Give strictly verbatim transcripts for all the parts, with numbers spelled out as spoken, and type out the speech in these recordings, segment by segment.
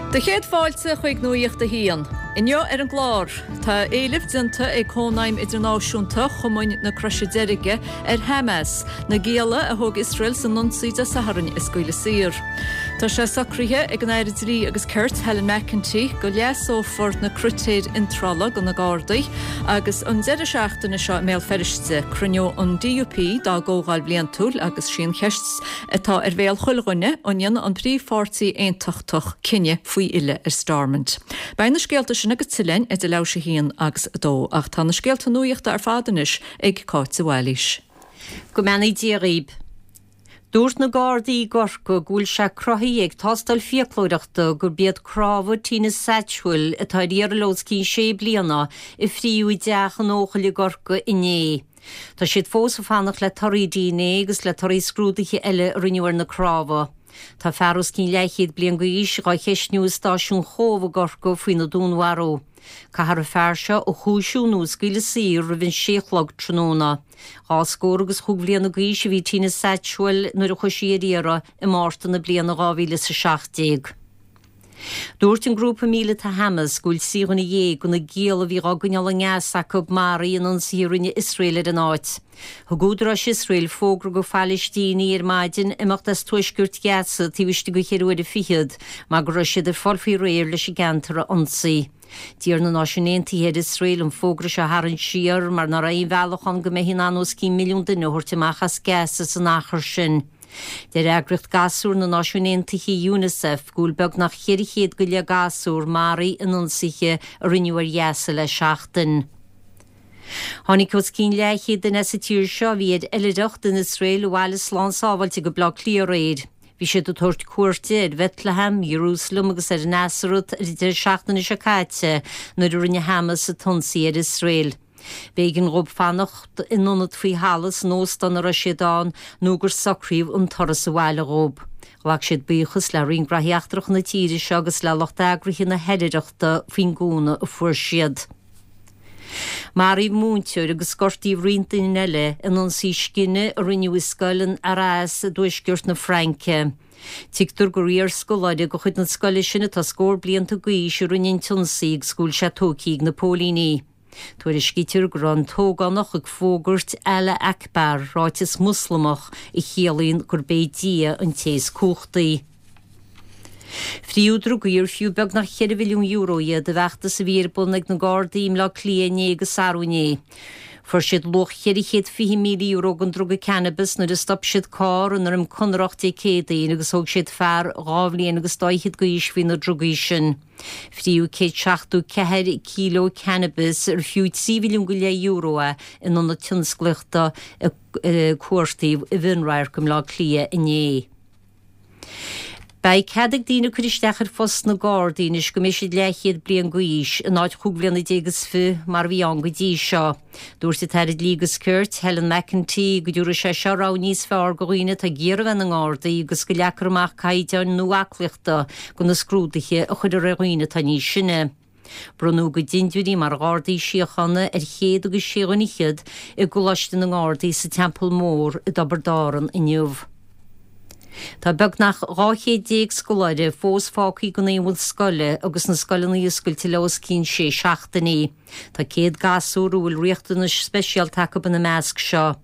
Do chéad fáilte chuig Nuacht a hAon. Inniu ar an gclár, tá éileamh déanta ag Cónaidhm Idirnáisiúnta Chumann na Croise Deirge ar Hamas, na gialla a thóg Iosrael san ionsaí Dé Sathairn a scaoileadh saor. Tá sé socraithe ag an Aire Dlí agus Cirt Helen McEntee go leasófar na critéir iontrála do na Gardaí agus an deireadh seachtaine seo i mBéal Feirste cruinneoidh an DUP dá gcomhdháil bhliantúil agus sí an cheist atá ar bhéal chuile dhuine an ndéanfaidh an príomhpháirtí aontachtach cinneadh faoi fhilleadh ar Stormont. Beidh na scéalta sin agus tuilleadh idir leathuair tar éis a haon agus a dó ach tá na scéalta nuachta ar fad anois ag Cáit de Bhailís. Go mbeannaí Dia dhaoibh. Dúirt na Gardaí i gCorcaigh go bhfuil sé cruthaithe ag tástáil fiaclóireachta gurb iad cnámha Tina Satchwell atá ar iarraidh le os cionn sé bliana a fríodh i dteach in Eochaill i gCorcaigh inné. Tá siad fós ag fanacht le torthaí DNA agus le torthaí scrúduithe eile a rinneadh ar na cnámha. Tá fear os cionn leathchéad bliain d'aois á cheistniú i stáisiún Chóbh i gCorcaigh faoina dúnmharú. Caithfear an fear seo a chúisiú nó a scaoileadh saor roimh an sé a chlog tráthnóna. Dhá scór agus chúig bhliana d'aois a bhí Tina Satchwell nuair a chuaigh sí ar iarraidh i Márta na bliana dhá mhíle is a seacht déag. Dúirt an grúpa míleata Hamas go bhfuil trí dhuine dhéag de na gialla a bhí á gcoinneáil i nGaza acu maraithe in ionsaithe a rinne Iosrael ar an áit. Thug údaráis Iosrael fógra do Phalaistínigh ar maidin imeacht as tuaisceart Ghaza taobh istigh de cheithre huaire fichead, mar go raibh siad ag fáil faoi réir leis an gceantar a ionsaí. D'iarr na Náisiúin Aontaithe ar Iosrael an fógra seo a tharraingt siar mar nach raibh aon bhealach ann go mbeifí in ann os cionn milliún duine a thabhairt amach as Gaza san achar sin. Deir eagraíocht gasúr na Náisiún Aontaithe UNICEF go bhfuil beagnach ceithre chéad go leith gasúr maraithe in ionsaithe a rinneadh ar Ghaza le seachtain. Tháinig os cionn leathchéad duine sa tír seo a bhí ar oilithreacht in Iosrael abhaile slán sábháilte go Bleá Cliath aréir. Bhí siad ag tabhairt cuairte ar Bethlehem, Jerusalem agus ar Nazaret ar an deireadh seachtaine seo caite nuair a rinne Hamas an t-ionsaí ar Iosrael. B'éigean dóibh fanacht in ionad faoi thalamh san óstán a raibh siad ann nó gur socraíodh an turas abhaile dhóibh. Ghlac siad buíochas le Roinn Gnóthaí Eachtracha na tíre seo agus le lucht eagraithe na hoilithreachta faoin gcúnamh a fuair siad. Maraíodh múinteoir agus gortaíodh roinnt daoine eile in ionsaí scine a rinneadh i scoil in Arras i dtuaisceart na Fraince. Tuigtear gur iarscoláire de chuid na scoile sin atá scór blianta d'aois a rinne an t-ionsaí agus go bhfuil sé tógtha ag na póilíní. Tuairiscítear go raibh an t-ógánach ag fógairt Allah Akbar ráiteas Moslamach a chiallaíonn gurb é Dia an té is cumhachtaí. Fríodh drugaí ar fiú beagnach ceithre mhilliún euro iad i bhfeachtas a bhí ar bun ag na Gardaí i mBleá Cliath inné agus arú inné. Fuair siad luach ceithre chéad fiche míle euro den druga cannabis nuair a stop siad carr i nDroim Conrach Dé Céadaoin agus thóg siad fear dhá bhliain agus dá fhichead d'aois faoi na drugaí sin. Fríodh céad seachtó ceathair kíló cannabis ar fiú trí mhilliún go leith euro é in ionad tionsclaíochta cuartaí i bhFionnradharc i mBleá Cliath inné. Beidh cead ag daoine cur isteach ar phost na Gardaí anois go mbeidh siad leathchéad bliain d'aois in áit chúig bhliana déag is fiche mar a bhí ann go dtí seo. Dúirt an tAire Dlí agus Cirt Helen McEntee go dtabharfaidh sé seo rogha níos fearr do dhaoine atá ag iarraidh bheith ina nGardaí agus go leagfar amach caighdeáin nua aclaíochta do na scrúduithe a chuirfear ar dhaoine atá níos sine. Bronnadh a gcuid dindiúirí mar Ghardaí Síochána ar chéad agus sé dhuine fhichead i gColáiste na nGardaí sa Teampall Mór i dTiobraid Árann inniu. Tá beagnach dhá chéad déag scoláire fós fágtha gan aon bhus scoile agus na scoileanna oscailte le os cionn sé seachtainí. Tá céad gasúr a bhfuil riachtanais speisialta acu ina measc seo.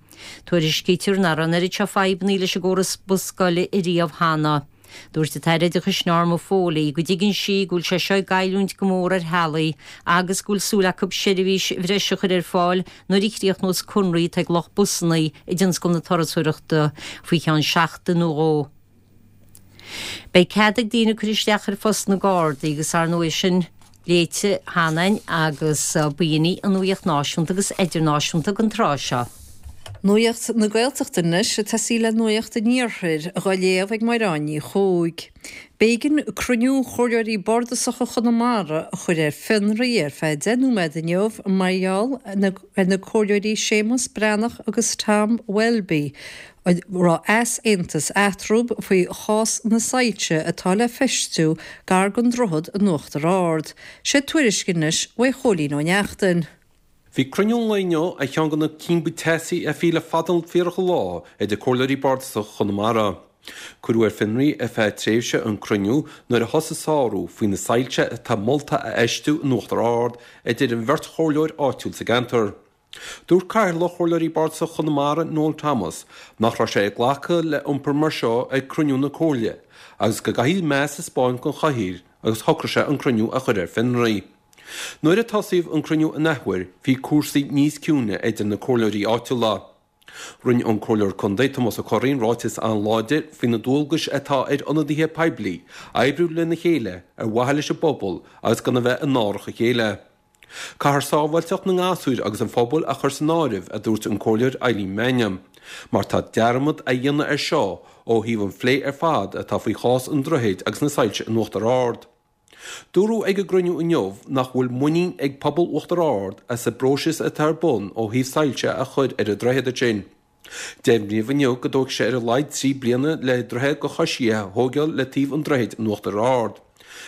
Tuairiscítear nach raibh an oiread seo fadhbanna leis an gcóras bus scoile ariamh cheana. Dúirt an tAire Oideachais Norma Foley go dtuigeann sí go bhfuil sé seo ag goilliúint go mór ar theaghlaigh agus go bhfuil súil acu seirbhís bhreise a chur ar fáil nuair a chríochnós conradh atá ag lucht busanna i dtionscal na turasóireachta faoi cheann seachtain nó dhó. Beidh cead ag daoine cur isteach ar phost na Gardaí agus ar ndóigh sin léite cheana againn agus b'in í an nuacht náisiúnta agus idirnáisiúnta don tráth seo. Nuacht na Gaeltachta anois ag tosaí le nuacht an Iarthair, á léamh ag Máire Ní Chuaig. B'éigean cruinniú Chomhairleoirí Bardasacha Chonamara a chur ar fionraí ar feadh deich nóiméad inniu mar gheall ar na comhairleoirí Séamus Breathnach agus Tom Welby raibh easaontas eatarthu faoi chás na soilse atá le feistiú gar don droichead in Uachtar Ard. Sé tuairisc anois uaidh Chóilín Ó Neachtain. Bhí cruinniú an lae inniu ar cheann de na cinn ba teasaí a bhí le fada an fíorach lá idir comhairleoirí bardasacha Chonamara. Cuireadh ar fionraí ar feadh tréimhse an cruinniú nuair a thosaigh sárú faoi na soilse atá molta a fheistiú in Uachtar Ard, a deir an bheirt chomhairleoir áitiúil sa gceantar. Dúirt Cathaoirleach Chomhairleoirí Bardasach Chonamara, Noel Thomas, nach raibh sé ag glacadh le iompar mar seo ag cruinniú na Comhairle agus go gcaithfidh meas a 'spáint don chathaoir agus shocraigh sé an cruinniú a chur ar fionraí. Nuair a tosaíodh an cruinniú an athuair bhí cúrsaí níos ciúine idir na comhairleoirí áitiúla. Rinne an Comhairleoir Contae Tomás Ó Curraoin ráiteas an-láidir faoi na dualgais atá ar ionadaithe poiblí oibriú lena chéile ar mhaithe leis an bpobal agus gan a bheith in árach a chéile. Caithfear sábháilteacht na ngasúir agus an phobail a chur san áireamh, a dúirt an Comhairleoir Eileen Mannion, mar tá dearmad á dhéanamh air seo ó thaobh an phlé ar fad atá faoi chás an droichid agus na soilse in Uachtar Ard. Dúradh ag an gcruinniú inniu nach bhfuil muinín ag pobal Uachtar Ard as an bpróiseas atá ar bun ó thaobh soilse a chur ar an droichead ansin. Deimhníodh inniu go dtógfaidh sé ar a laghad trí bliana le droichead do choisithe a thógáil le taobh an droichid in Uachtar Ard.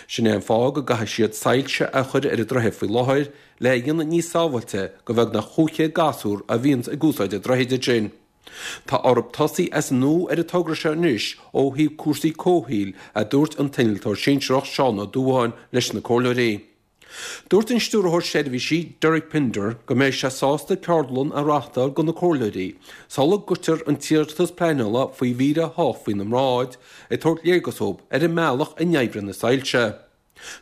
Sin é an fáth go gcaithfidh siad soilse a chur ar an droichead faoi láthair le a dhéanamh níos sábháilte do bheagnach chúig chéad gasúr a bhíonns ag úsáid an droichid ansin. Tá orthu tosaí as an nua ar an togra seo anois ó thaobh cúrsaí comhshaoil, a dúirt an t-innealtóir sinsearach Seán Ó Dúbháin leis na comhairleoirí. Dúirt an Stiúrthóir Seirbhísí Derek Pinder go mbeidh sé sásta ceardlann a reáchtáil do na comhairleoirí sula gcuirtear an t-iarratas pleanála faoi mhír a hocht faoina mbráid, ag tabhairt léargas dóibh ar an mbealach a n-oibríonn na soilse.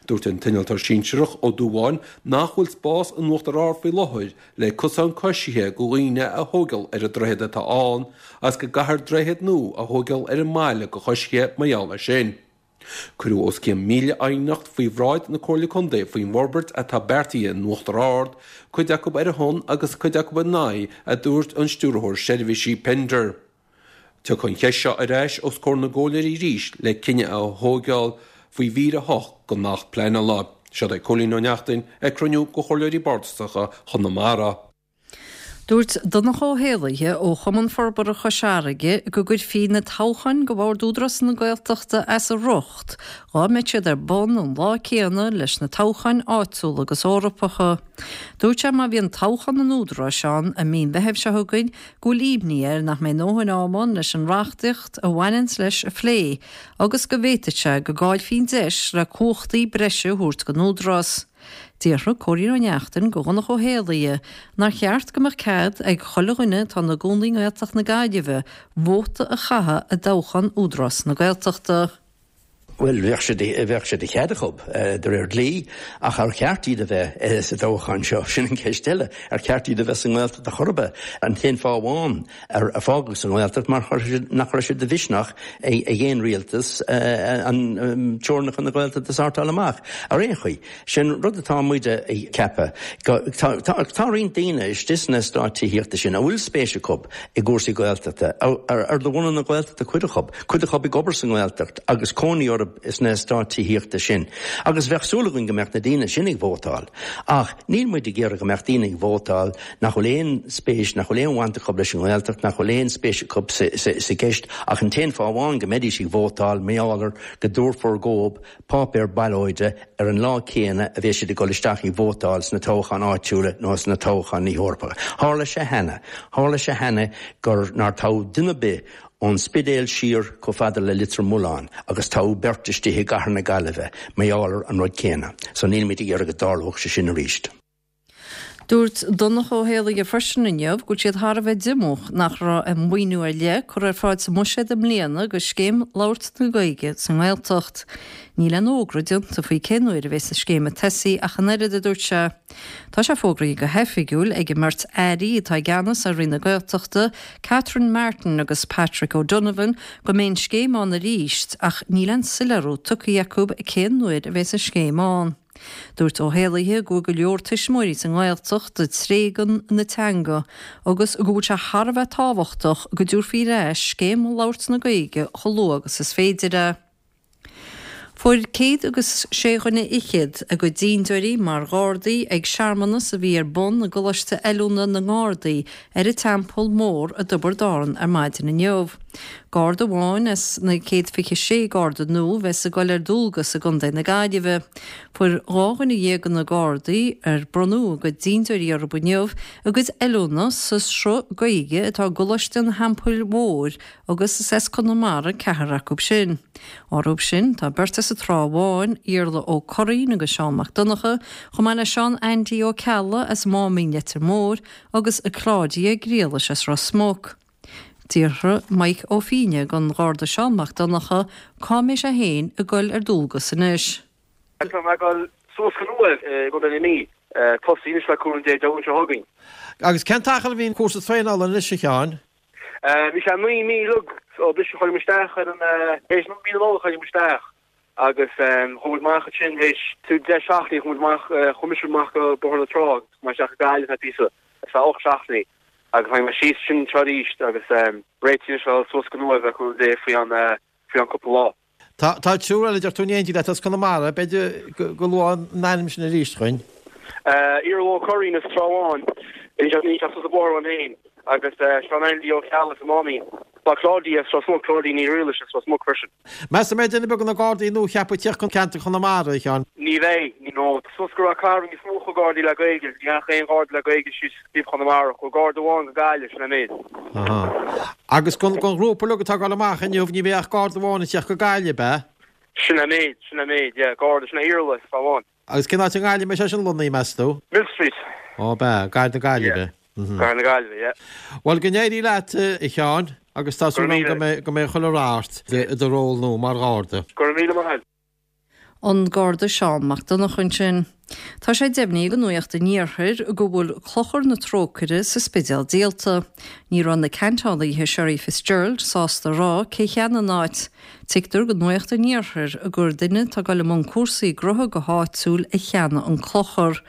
Dúirt an t-innealtóir sinsearach Ó Dúbháin nach bhfuil spás in Uachtar Ard faoi láthair le cosán coisithe do dhaoine a thógáil ar an droichead atá ann agus go gcaithfear droichead nua a thógáil ar an mbaile do choisithe mar gheall air sin. Cuireadh os cionn míle aighneacht faoi bhráid na Comhairle Contae faoin bhforbairt atá beartaithe in Uachtar Ard, cuid acu ar a shon agus cuid acu ina aghaidh, a dúirt an Stiúrthóir Seirbhísí Pinder. Tiocfaidh an cheist seo ar ais os comhair na gcomhairleoirí arís le cinneadh a thógáil faoi mhír a hocht den Acht Pleanála. Seo é Cóilín Ó Neachtain ag cruinniú de Chomhairleoirí Bardasacha Chonamara. Dúirt Donncha Ó hÉallaithe ó Chumann Forbartha Chois Fharraige go gcuirfí na toghcháin do Bhord Údarás na Gaeltachta as a riocht dhá mbeadh siad ar bun an lá céanna leis na toghcháin áitiúla agus Eorpacha. Dúirt sé má bhíonn toghchán an Údaráis ann i mí an Mheithimh seo chugainn go bhfuil imní air nach mbeidh a ndóthain ama ann leis an reachtaíocht a bhaineanns leis a phlé agus go bhféadfadh sé go gcaillfí an deis le cumhachtaí breise a thabhairt don Údarás. D'fhiafraigh Cóilín Ó Neachtain de Dhonncha Ó hÉallaithe nár cheart go mbeadh cead ag chuile dhuine atá ina gcónaí i nGaeltacht na Gaillimhe vóta a chaitheamh i dtoghchán Údarás na Gaeltachta. Bhuel, bheadh sé de, bheadh sé de chead acu, de réir dlí, ach ar cheart iad a bheith sa toghchán seo? Sin an ceist eile. Ar cheart iad a bheith sa nGaeltacht ar chor ar bith? An t-aon fáth amháin ar fágadh sa nGaeltacht mar nach raibh sé de mhisneach ag aon rialtas an teorainneacha na Gaeltachta a shórtáil amach. Ar aon chaoi, sin rud atá muid ag ceapadh. Tá roinnt daoine istigh sna eastáit tithíochta sin a bhfuil spéis acu i gcúrsaí Gaeltachta, ar de bhunadh na Gaeltachta cuid acu, cuid acu ag obair sa nGaeltacht agus cónaí orthu sna eastáit tithíochta sin. Agus bheadh súil againn go mbeadh na daoine sin ag vótáil. Ach níl muid ag iarraidh go mbeadh daoine ag vótáil nach bhfuil aon spéis, nach bhfuil aon bhaint acu leis an nGaeltacht, nach bhfuil aon spéis acu sa gceist, ach an t-aon fáth amháin go mbeidís ag vótáil, mar gheall ar go dtabharfar dhóibh páipéar ballóide ar an lá céanna a bheas siad ag dul isteach ag vótáil sna toghcháin áitiúla nó sna toghcháin Eorpacha. Tharla sé cheana. Tharla sé cheana gur nár toghadh duine ar bith ón Spidéal siar chomh fada le Leitir Mealláin agus toghadh beirt istigh i gcathair na Gaillimhe mar gheall ar an rud céanna. So nílimid ag iarraidh go dtarlódh sé sin arís. Dúirt Donncha Ó hÉallaithe freisin inniu go bhfuil siad thar a bheith díomách nach raibh aon mhaoiniú ar leith curtha ar fáil sa mbuiséad i mbliana do scéim labhairt na Gaeilge sa nGaeltacht. Níl aon fhógra déanta faoi cén uair a bheas an scéim ag tosaí ach an oiread, a dúirt sé. Tá sé fógraithe go hoifigiúil ag an mbeirt airí atá i gceannas ar Roinn na Gaeltachta, Catherine Martin agus Patrick O'Donovan, go mbeidh an scéim ann arís ach níl aon soiléiriú tugtha acu cén uair a bheas an scéim ann. Dúirt Ó hÉallaithe go bhfuil go leor tuismitheoirí sa nGaeltacht ag tréigean na teanga agus go bhfuil sé thar a bheith tábhachtach go dtabharfaí ar ais Scéim Labhairt na Gaeilge chomh luath agus is féidir é. Fuair céad agus sé dhuine fhichead a gcuid dintiúirí mar Ghardaí ag searmanas a bhí ar bun i gColáiste Oiliúna na nGardaí ar an Teampall Mór i dTiobraid Árann ar maidin inniu. Garda amháin as na céad fiche sé Garda nua a bheas ag dul ar dualgas i gContae na Gaillimhe. Fuair dhá dhuine dhéag de na Gardaí ar bronnadh a gcuid dintiúirí orthu inniu a gcuid oiliúna sa sruth Gaeilge atá i gColáiste an Theampaill Mhóir agus is as Conamara ceathrar acu sin. Orthu sin tá beirt as an Trá Bháin, Iarla Ó Curraoin agus Seán Mac Donncha, chomh maith le Seán Andy Ó Ceallaigh as Máimín Leitir Móir agus Claudia Griallais as Ros Muc. D'fhiafraigh Mike Ó Fiaine den Gharda Seán Mac Donncha cá mbeidh sé féin ag dul ar dualgas anois. Tá mé ag dul suas go Uaimh i gContae na Mí, tosaí anois le cúnamh Dé Dé Luain seo chugainn. Agus cén t-achar a bhíonn cúrsa traenála anois, a Sheáin? Bhí sé naoi mí uilig ó briseadh chuir muid isteach ar an théis mí na Nollag chuir muid isteach agus chuaigh muid amach ansin théis deich seachtainí chuaigh muid amach chuaigh mise amach go Bóthar na Trá agus chuaigh mé isteach go Gaillimh ar feadh píosa ar feadh ocht seachtainí agus tháinig mé síos sin anseo arís agus réitithe anois le dhul suas go Uaimh le cúnamh Dé faoi an faoi an cúpla lá. Tá tá triúr eile deir tú in éindí leat as Conamara, b'fhéidir go go luafá a n-ainm sin arís dhúinn. Iarla Ó Curraoin as Trá Bháin, níl sé níl sé suas an bóthar uaim féin agus Seán Andy Ó Ceallaigh as an Máimín. Tá Claudia as Ros Muc, Claudia Ní Riallais as Ros Muc freisin. Meas tú an mbeidh duine ar bith de na Gardaí nuacheaptha ag tíocht chun ceantar Chonamara, a Sheáin? Ní bheidh, no. Suas go Ráth Cairn níos mó chuaigh Gardaí le Gaeilge. Ní dheachaigh aon Gharda le Gaeilge síos taobh Chonamara. Chuaigh Garda amháin go Gaillimh, sin é an méid. Aha. Agus den ghrúpa uilig atá ag dul amach inniu, ní bheidh ach Garda amháin ag tíocht go Gaillimh, ab ea? Sin é an méid, sin é an méid, yeah. Garda, sin é Iarla, is amháin. Agus cén áit i nGaillimh a mbeidh sé sin lonnaithe, meas tú? Millstreet. Ó, ab ea, gar do Gaillimh. Yeah. Gar na Gaillimhe, yeah. Bhuel, go n-éirí leat, a Sheáin, agus tá súil agam go mbeidh, go mbeidh chuile rath ort i do ról nua mar Gharda. Go raibh míle maith agat. An Garda Seán Mac Donncha ansin. Tá sé deimhnithe ag Nuacht an Iarthair go bhfuil Clochar na Trócaire sa Spidéal díolta. Ní raibh na ceantálaithe Sherry Fitzgerald sásta a rá cé cheannaigh an áit. Tuigtear do Nuacht an Iarthair gur duine atá ag dul i mbun cúrsaí gnótha go háitiúil a cheannaigh an clochar.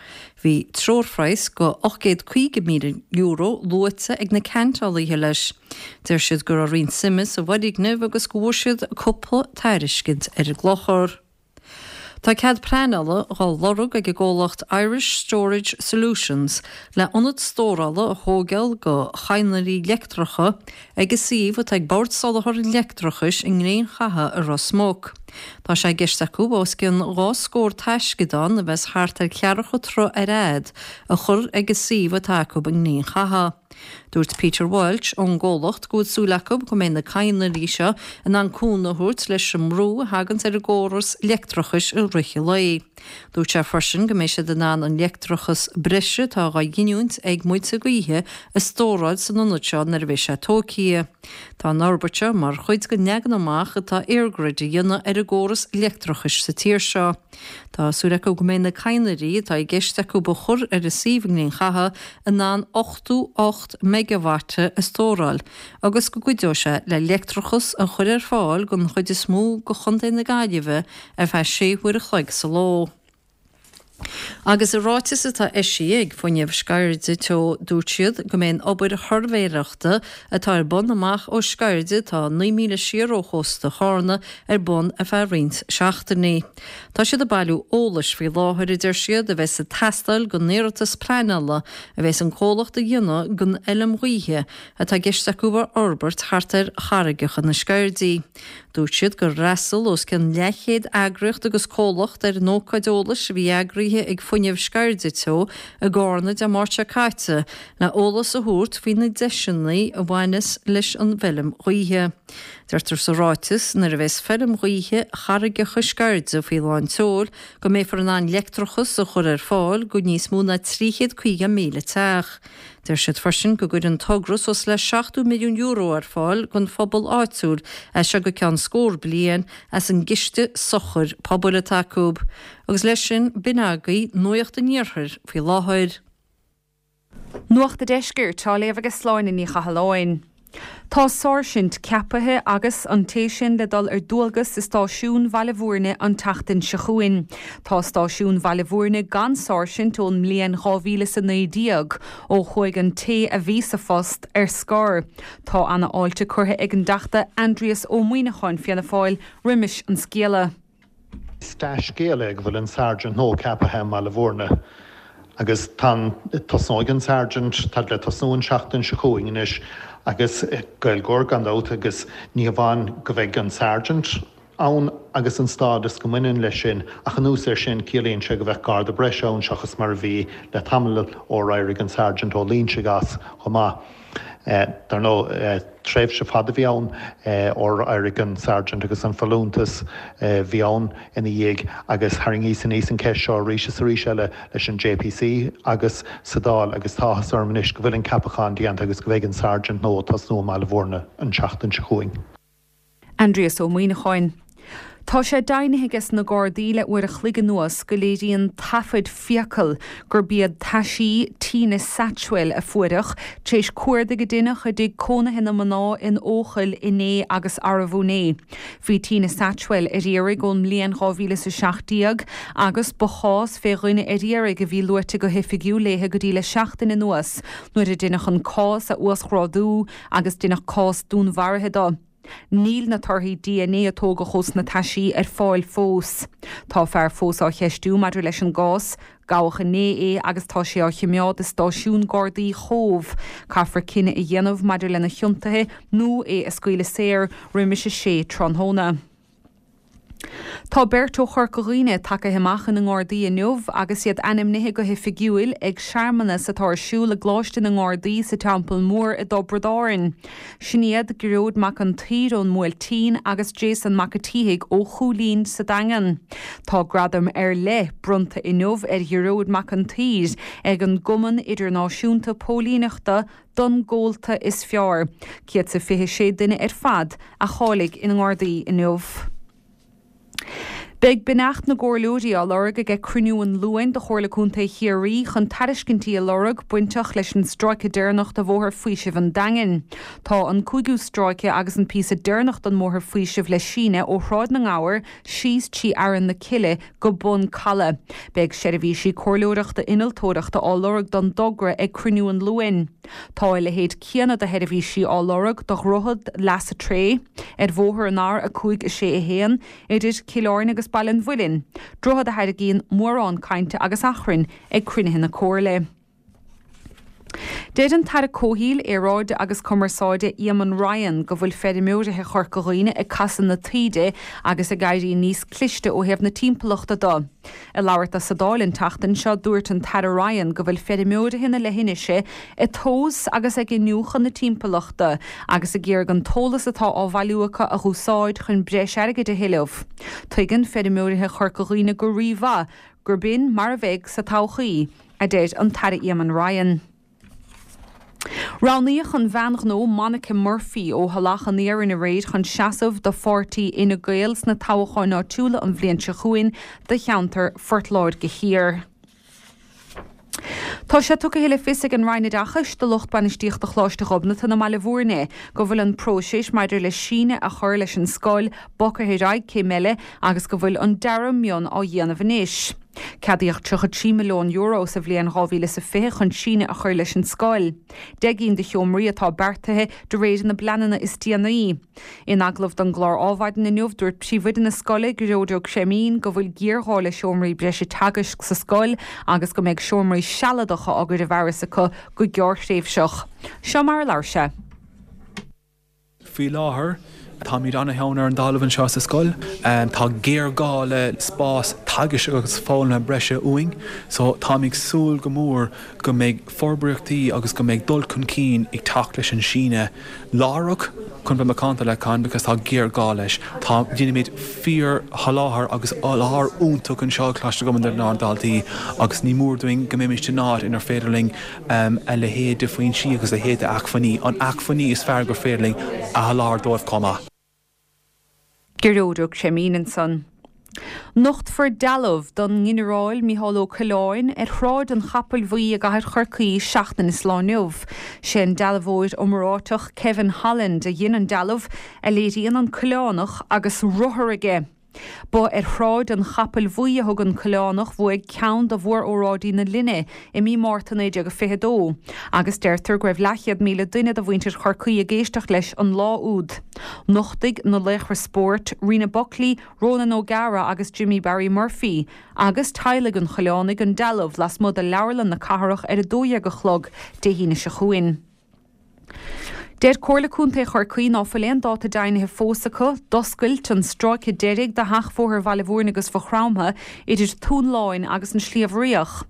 Bhí treoirphraghas de ocht gcéad caoga míle euro luaite ag na ceantálaithe leis. Deir siad go raibh roinnt suime sa bhfoirgneamh agus go bhfuair siad cúpla tairiscint ar an gclochar. Tá cead pleanála dhá lorg ag an gcomhlacht Irish Storage Solutions le ionad stórála a thógáil do chadhnraí leictreacha ag an suíomh atá ag Bord Soláthair an Leictreachais i nGleann Chatha i Ros Muc. Tá sé i gceist acu os cionn dhá scór taisceadán a bheas thart ar cheathracha troigh ar fhad a chur ag an suíomh atá acu i nGleann Chatha. Dúirt Peter Walsh ón gcomhlacht go bhfuil súil acu go mbeidh na cadhnraí seo in ann cúnamh a thabhairt leis an mbrú a thaganns ar an gcóras leictreachais i rith an lae. Dúirt sé freisin go mbeidh siad in ann an leictreachas breise atá á ghiniúint ag muilte gaoithe a stóráil san ionad seo nuair a bheidh sé tógtha. Tá an fhorbairt seo mar chuid den leagan amach atá EirGrid a dhéanamh ar an gcóras leictreachais sa tír seo. Tá súil acu go mbeidh na cadhnraí atá i gceist acu a chur ar an suíomh i nGleann Chatha in ann ochtó ocht meigeavata a stóráil agus go gcuideoidh sé le leictreachas a chur ar fáil don chuid is mó de Chontae na Gaillimhe ar feadh sé huaire a chloig sa ló. Agus i ráiteas atá eisithe ag Fuinneamh Sceirde Teo dúirt siad go mbeidh an obair shuirbhéireachta atá ar bun amach ó Sceirde atá naoi míle siar ó chósta Chárna ar bun ar feadh roinnt seachtainí. Tá siad ag bailiú eolais faoi láthair, a deir siad, a bheas ag teastáil don iarratas pleanála a bheas an comhlacht a dhéanamh don fheilm ghaoithe atá i gceist acu a fhorbairt thart ar charraigeacha na Sceirdí. Dúirt siad gur fhreastail os cionn leathchéad eagraíocht agus comhlacht ar an ócáid eolais a bhí eagraithe ag Fuinneamh Sceirde Teo i gCárna Dé Máirt seo caite le eolas a thabhairt faoi na deiseanna a bhaineas leis an bhfeilm ghaoithe. Deirtear sa ráiteas nuair a bheas feilm ghaoithe Charraigeacha Sceirde faoi lán tseoil go mbeifear in ann leictreachas a chur ar fáil go níos mó ná trí chéad caoga míle teach. Deir siad freisin go gcuireann an togra suas le seachtó milliún euro ar fáil don phobal áitiúil as seo go ceann scór bliain as an gCiste Sochair Pobail atá acu. Agus leis sin, b'in agaibh Nuacht an Iarthair faoi láthair. Nuacht an Deiscirt á léamh ag Sláine Ní Chathalláin. Tá sáirsint ceapaithe agus an té sin le dul ar dualgas i stáisiún Bhaile Bhúirne an tseachtain seo chugainn. Tá stáisiún Bhaile Bhúirne gan sáirsint ón mbliain dhá mhíle is a naoi déag, ó chuaigh an té a bhí sa phost ar scor. Tá ana fháilte curtha ag an dTeachta Aindrias Ó Muimhneacháin Fianna Fáil roimis an scéala. Is dea-scéal é go bhfuil an Sergeant nua ceaptha i mBaile Bhúirne agus tá tosnóidh an Sergeant tá le tosnú an seachtain seo chugainn anois agus Gaeilgeoir gan dabht agus ní hamháin go bheidh an Sergeant ann agus an stádas go mbaineann leis sin ach anuas air sin ciallaíonn sé go bheadh garda breise ann seachas mar a bhí le tamall ó éirigh an Sergeant Ó Loingsigh as chomh maith. Dar ndóigh tréimhse fada a bhí ann ó éirigh an Sergeant agus an folúntas bhí ann ina dhiaidh agus tharraingíos aníos an ceist seo arís is arís eile leis an JPC agus sa Dáil agus tá áthas orm anois go bhfuil an ceapachán déanta agus go bheidh an Sergeant nua ag tosnú i mBaile Bhúirne an tseachtain seo chugainn. Aindrias Ó Muimhneacháin. Tá sé deimhnithe ages na Gardaí le uair a chloig anuas go léiríonn taifid fiacal gurb iad taisí Tina Satchwell a fuaireadh tar éis cuardaigh a deineadh i dtigh cónaithe na mná in Eochaill inné agus arbú inné. Bhí Tina Satchwell ar iarraidh ón mbliain dhá mhíle is a seacht déag agus ba chás fé dhuine ar iarraidh a bhí luaite go hoifigiúil léithe go dtí le seachtain anuas nuair a deineadh an cás a uasghrádú agus deineadh cás dúnmharaithe de. Níl na torthaí dna a tógadh ós na taisí ar fáil fós. Tá fear fós á cheistiú maidir leis an gcás. Gabhadh inné é agus tá sé á choimeád i stáisiún Gardaí Chóbh. Caithfear cinneadh a dhéanamh maidir lena chiontuithe nó é a scaoileadh saor roimis a sé tráthnóna. Tá beirt ó Chorca Dhuibhne tagtha amach ina nGardaí inniu agus iad ainmnithe go hoifigiúil ag searmanas atá ar siúl i gColáiste na nGardaí sa Teampall Mór i dTiobraid Árann. Sin iad Gearóid Mac an tSaoir ón mBuailtín agus Jason Mac a' tSíthigh ó Chúilín sa Daingean. Tá gradam ar leith bronnta inniu ar Ghearóid Mac an tSaoir ag an gCumann Idirnáisiúnta Póilíneachta don gcomhalta is fearr. Céad 's a fiche sé duine ar fad a cháiligh ina nGardaí inniu. Beidh beannacht na gComhairleoirí á lorg aige cruinniú an Luain de Chomhairle Contae Chiarraí chun tairiscintí a lorg bainteach leis an stráice deireanach de Bhóthar Faoisimh an Daingin. Tá an cúigiú stráice agus an píosa deireanach den mBóthar Faoisimh le síneadh ó Shráid na nGabhar síos trí Fhearann na Cille go Bun Calaidh. Beidh seirbhísí comhairleoireachta innealtóireachta á lorg don dtogra ag cruinniú an Luain. Tá a leithéid céanna de sheirbhísí á lorg do Dhroichead Leasa Tré ar bhóthar an R a cúig a sé a haon idir Cill Airne agus Baile an Mhuilinn, droichead a thairgíonn mórán cainte agus achrainn ag cruinnithe na Comhairle. Deir an tAire Comhshaoil, Aeráide agus Cumarsáide Eamon Ryan go bhfuil feirmeoirithe Chorca Dhuibhne ag casadh na taoide agus ag éirí níos cliste ó thaobh na timpeallachta de. Ag labhairt dó sa Dáil an tseachtain seo, dúirt an tAire Ryan go bhfuil feirmeoirithe na leithinise ag tomhas agus ag iniúchadh na timpeallachta agus ag iarraidh an t-eolas atá á bhailiú acu a dh'úsáid chun breis airgid a thuilleamh. Tuigeann feirmeoirithe Chorca Dhuibhne go rímhaith gurb in mar a bheidh sa todhchaí, a deir an tAire Eamon Ryan. Roghnaíodh an bhean ghnó Monica Murphy ó Thulach an Iarainn aréir chun seasamh do pháirtí Fhine Gael sna toghcháin áitiúla an bhliain seo chugainn do cheantar Phort Láirge Thiar. Tá sé tugtha le fios ag an Roinn Oideachais do lucht bainistíochta Choláiste Ghobnatan i mBaile Bhúirne go bhfuil an próiseas maidir le síneadh a chur leis an scoil bogtha ar aghaidh céim eile agus go bhfuil an dearadh mion á dhéanamh anois. Ceadaíodh tríocha trí milliún euro sa bhliain dhá mhíle is a fiche chun síneadh a chur leis an scoil. Deich gcinn de sheomraí atá beartaithe de réir na bpleananna is déanaí. In agallamh don gclár Adhmhaidin inniu, dúirt príomhoide na scoile, Gearóid Ó Creimín, go bhfuil géarghá le seomraí breise teagaisc sa scoil agus go mbeidh seomraí sealadacha á gcur i bhfearas acu go gearrthréimhseach. Seo mar a labhair sé. Faoi láthair, táimid an-theann ar an dtalamh anseo sa scoil. Tá géarghá le spás teagaisc agus foghlama breise uainn, so táim ag súil go mór go mbeidh forbraíochtaí agus go mbeidh dul chun cinn ag teacht leis an síneadh láithreach chun bheith macánta le Con because tá géarghá leis. Tá, déanaimid fíor-sholáthar agus sholáthar iontach anseo ag Coláiste Ghobnatan dár ndaltaí agus ní mór dúinn go mbeimis in áit inar féidir linn a leithéid de foinsí agus a leithéid de acmhainní, an acmhainní is fearr gur féidir linn a sholáthar dóibh chomh maith. Gearóid Ó Creimín ansan. Nochtfar dealbh don nGinearál Mícheál Ó Coileáin ar Shráid an Chapaill Bhuí i gcathair Chorcaí seachtain is lá inniu. Sé an dealbhóir iomráiteach Kevin Holland a dhein an dealbh, a léiríonn an Coileánach agus rothar aige. Ba ar Shráid an Chapaill Bhuí a thug an Coileánach bhuaidh ceann de mhór-óráidí na linne i mí Márta naoi déag fiche dó, agus deirtear go raibh leathchéad míle duine de mhuintir Chorcaí ag éisteacht leis an lá úd. Nochtfaidh na laochra spóirt, Rena Buckley, Ronan O'Gara agus Jimmy Barry Murphy, agus teaghlaigh an Choileánaigh an dealbh lasmuigh de Leabharlann na Cathrach ar a dó dhéag a chlog Dé hAoine seo chugainn. Deir Comhairle Contae Chorcaí ná fuil aon dáta deimhnithe fós acu d'oscailt an stráice deiridh de sheachbhóthar Bhaile Mhúirne agus Mhaigh Chromtha idir Tóin Láin agus an Sliabh Riach.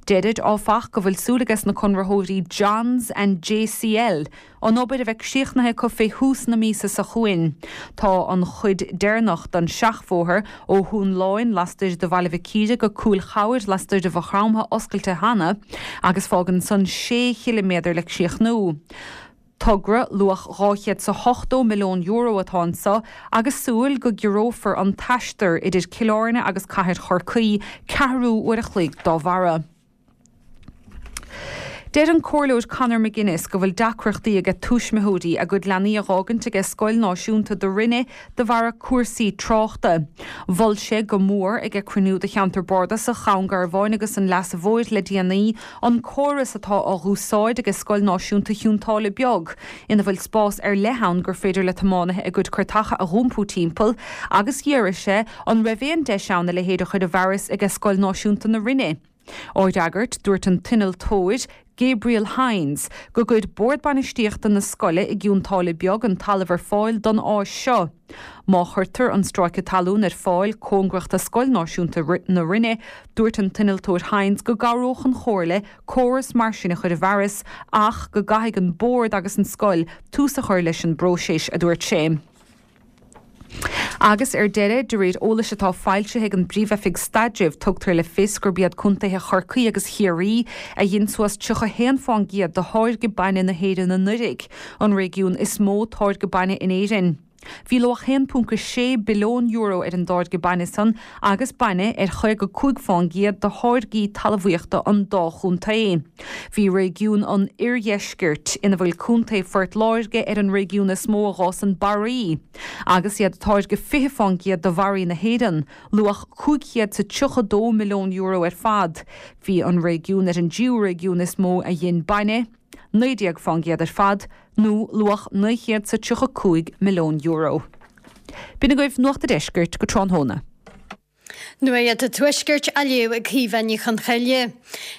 Deirid, áfach, go bhfuil súil ages na conraitheoirí Johns and JCL an obair a bheith críochnaithe acu fé thús na míosa seo chugainn. Tá an chuid deireanach den seachbhóthar ó Thóin Láin lastoir de Bhaile Mhic Íre go Cúil Chabhair lastoir de Mhaigh Chromtha oscailte cheana agus fágann san sé chiliméadar le críochnú. Togra luach dhá chéad 's a hochtó milliún euro atá anso agus súil go gciorrófar an t-aistear idir Cill Airne agus cathair Chorcaí ceathrú uair a chloig dá bharra. Deir an Comhairleoir Conor McGuinness go bhfuil deacrachtaí aige tuismitheoirí a gcuid leanaí a dh'fhágaint aige Scoil Náisiúnta do Rinne de bharra cúrsaí tráchta. Mhol sé go mór aige cruinniú de Cheantar Bardasach Dhún Garbhán agus an Leasa Mhóir le déanaí an córas atá á dh'úsáid aige Scoil Náisiúnta Chionn tSáile Beag ina bhfuil spás ar leith ann gur féidir le tiománaithe a gcuid cairteacha a dh'iompú timpeall agus d'fhiafraigh sé an raibh aon deis ann a leithéid a chur i bhfearas aige Scoil Náisiúnta na Rinne. Á fhreagairt, dúirt an t-innealtóir, Gabriel Hynes, go gcuir Bord Bainistíochta na scoile i gCionn tSáile Beag an talamh ar fáil don áis seo. Má chuirtear an stráice talún ar fáil cóngarach do Scoil Náisiúnta na Rinne, dúirt an t-innealtóir Hynes go gcabhródh an Chomhairle córas mar sin a chur i bhfearas ach go gcaithfidh an Bord agus an scoil tús a chur leis an bpróiseas, a dúirt sé. Agus ar deireadh, de réir eolais atá foilsithe ag an bPríomh-Oifig Staidrimh, tugtar le fios gurb iad contaetha Chorcaí agus Chiarraí a dhein suas tríocha haon fán gcéad de tháirgeadh bainne na hÉireann anuraidh, an réigiún is mó táirgeadh bainne in Éirinn. Bhí luach haon ponc a sé billiún euro ar an dtáirgeadh bainne san agus bainne ar chaoga cúig fán gcéad de tháirgí talmhaíochta an dá chontae. Bhí réigiún an Oirdheiscirt, ina bhfuil Contae Phort Láirge, ar an réigiún is mó a dh'fhásann barraí, agus iad ag táirgeadh fiche fán gcéad de bharraí na hÉireann, luach cúig chéad 's a tríocha dó milliún euro ar fad. Bhí an réigiún ar an dtríú réigiún is mó a dhein bainne, naoi déag fán gcéad ar fad, nó luach naoi chéad 's a tríocha cúig milliún euro. B'in agaibh Nuacht a' Deiscirt go tráthnóna. Nuacht an Tuaiscirt á léamh ag Caoimhe Ní Chonchoille.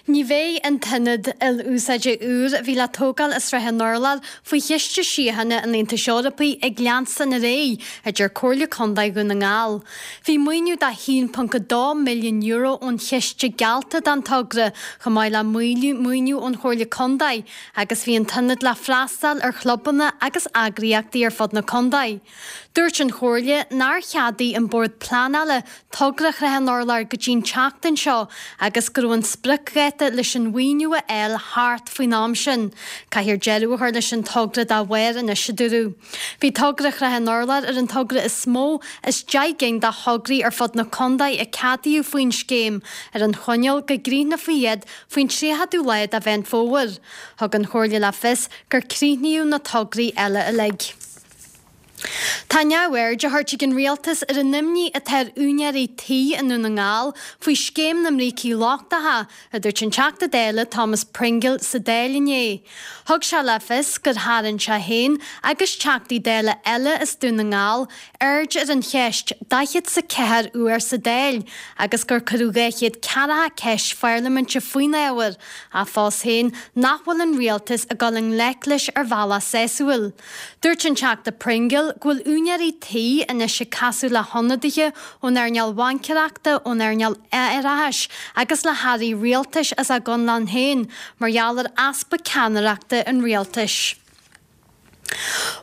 Ní bheidh an t-ionad il-úsáide úr a bhí le tógáil i Srath an Urláir faoi Chiste Síochána an Aontais Eorpaigh ag leanstan ar aghaidh, a deir Comhairle Contae Dhún na nGall. Bhí maoiniú de a haon ponc a dó milliún euro ón chiste geallta don togra, chomh maith le maoiniú ón Chomhairle Contae, agus bhí an t-ionad le freastal ar chlubanna agus eagraíochtaí ar fud na contae. Dúirt an Chomhairle nár cheadaigh an Bord Pleanála togra Shrath an Urláir go dtí an tseachtain seo agus go raibh an spriocdháta leis an mhaoiniú a fháil thart faoin am sin. Caithfear deireadh a chur leis an togra dá bharr anois, a dúradh. Bhí togra Shrath an Urláir ar an togra is mó as deich gcinn de thograí ar fud na contae a ceadaíodh faoin scéim, ar an choinníoll go gcríochnófaí iad faoin tríochadú lá de Mheán Fómhair. Thug an Chomhairle le fios gur críochnaíodh na tograí eile uilig. Tá neamhaird á thabhairt ag an Rialtas ar an imní atá ar úinéirí tí i nDún na nGall faoi scéim na mbrící lochtacha, a dúirt an Teachta Dála Thomas Pringle sa Dáil inné. Thug sé le fios gur tharraing sé féin agus Teachtaí Dála eile as Dún na nGall aird ar an cheist daichead 's a ceathair uair sa Dáil agus gur cuireadh dhá chéad ceathracha ceist pharlaiminte faoin ábhar, ach fós féin nach bhfuil an Rialtas ag dul i ngleic leis ar bhealach sásúil. Dúirt an Teachta Pringle go bhfuil úinéirí tí anois ag casadh le hionadaithe ón earnáil bhaincéireachta, ón earnáil árachais agus le hairí rialtais as a gconlán féin mar gheall ar easpa ceannaireachta an rialtais.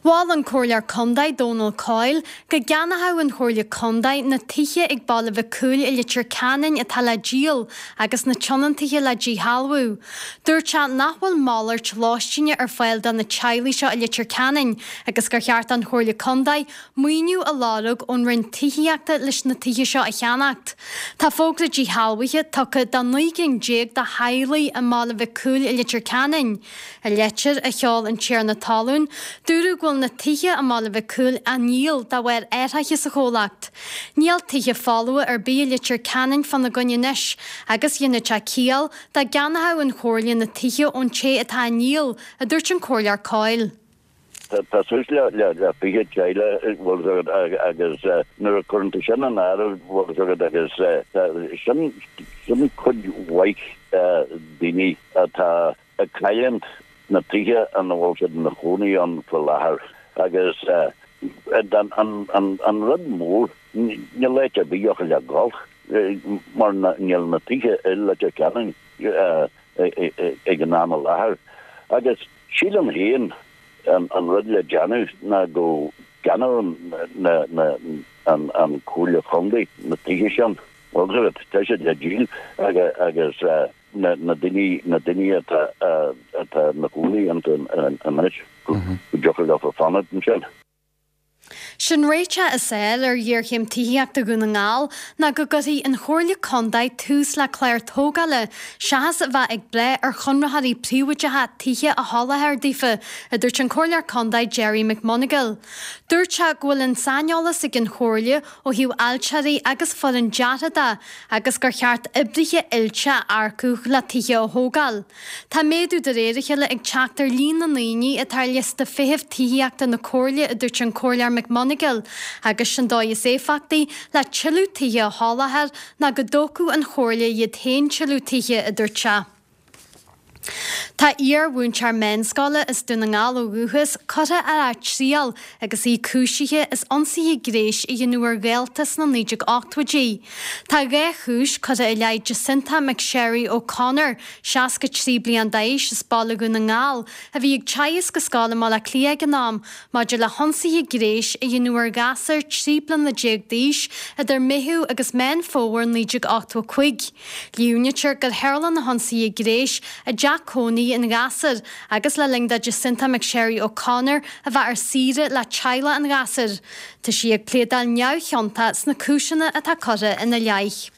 Mhol an Comhairleoir Contae Dónal Coyle go gceannódh an Chomhairle Contae na tithe ag Baile Mhic Cumhaill i Leitir Ceanainn atá le díol agus na tionóntaithe le díshealbhú. Dúirt sé nach bhfuil malairt lóistíne ar fáil do na teaghlaigh seo i Leitir Ceanainn agus gur cheart don Chomhairle Contae maoiniú a lorg ón Roinn Tithíochta leis na tithe seo a cheannacht. Tá fógra díshealbhaithe tugtha do naoi gcinn déag de theaghlaigh i mBaile Mhic Cumhaill i Leitir Ceanainn. I leitir a sheol an tiarna talún, Dúradh go bhfuil na tithe i mBaile Mhic Cumhaill á ndíol de bharr athraithe sa chomhlacht. Níl tithe folmha ar bith i Leitir Ceanainn fána gcoinne anois agus dhéanfadh sé ciall dá gceannódh an Chomhairle na tithe ón té atá á ndíol, a dúirt an Comhairleoir Coyle. Tá suas le fiche teaghlach bhfuil agus nuair a chuireann tú sin in áireamh bhfuil agus sin sin cuid mhaith daoine atá ag cailliúint na tithe ina bhfuil siad ina chónaí ann faoi láthair agus an rud mór níl áit ar bith acu le gabháil mar níl na tithe i Leitir Ceanainn ag an am i láthair agus sílim féin an rud le déanamh ná go gceannódh an Chomhairle Chontae na tithe sin bhfuil tá siad le díol agus na daoine na daoine atá atá ina gcónaí iontu anois go dtiocfadh leo fanacht ansin. Sé'n réiteach is fearr ar ghéarchéim tithíochta Dhún na nGall ná go gcuirfidh an Chomhairle Contae tús le clár tógála seachas a bheith ag brath ar chonraitheoirí príobháideacha tithe a sholáthar daofa, a dúirt an Comhairleoir Contae Gerry McMonagall. Dúirt sé go bhfuil an saineolas ag an Chomhairle ó thaobh ailtirí agus foireann deartha de agus gur cheart oibrithe oilte a earcú le tithe a thógáil. Tá méadú de réir a chéile ag teacht ar líon na ndaoine atá ar liosta feithimh tithíochta na Comhairle, a dúirt an Comhairleoir McMonagall, agus sé'n dóigh is éifeachtaí le tuilleadh tithe a sholáthar ná go dtógfadh an Chomhairle iad féin tuilleadh tithe, a dúirt sé. Tá iar-mhúinteoir meánscoile as Dún na nGall ó dhúchas curtha ar atriail agus í cúisithe as ionsaithe gnéis a dhéanamh ar dhalta sna naoi déag ochtóidí. Tá dhá chúis curtha i leith Jacinta McSherry O'Connor, seasca trí bliain d'aois as Baile Dhún na nGall, a bhí ag teagasc i scoil i mBaile Átha Cliath ag an am, maidir le hionsaithe gnéis a dhéanamh ar ghasúr trí bliana déag d'aois idir Meitheamh agus Meán Fómhair naoi déag ochtó a cúig. Líomhnaítear gur tharla na hionsaithe gnéis i dteach cónaí an ghasúir agus le linn do Jacinta McSherry O'Connor a bheith ar saoire le teaghlach an ghasúir. Tá sí ag pléadáil neamhchiontach sna cúiseanna atá curtha ina leith.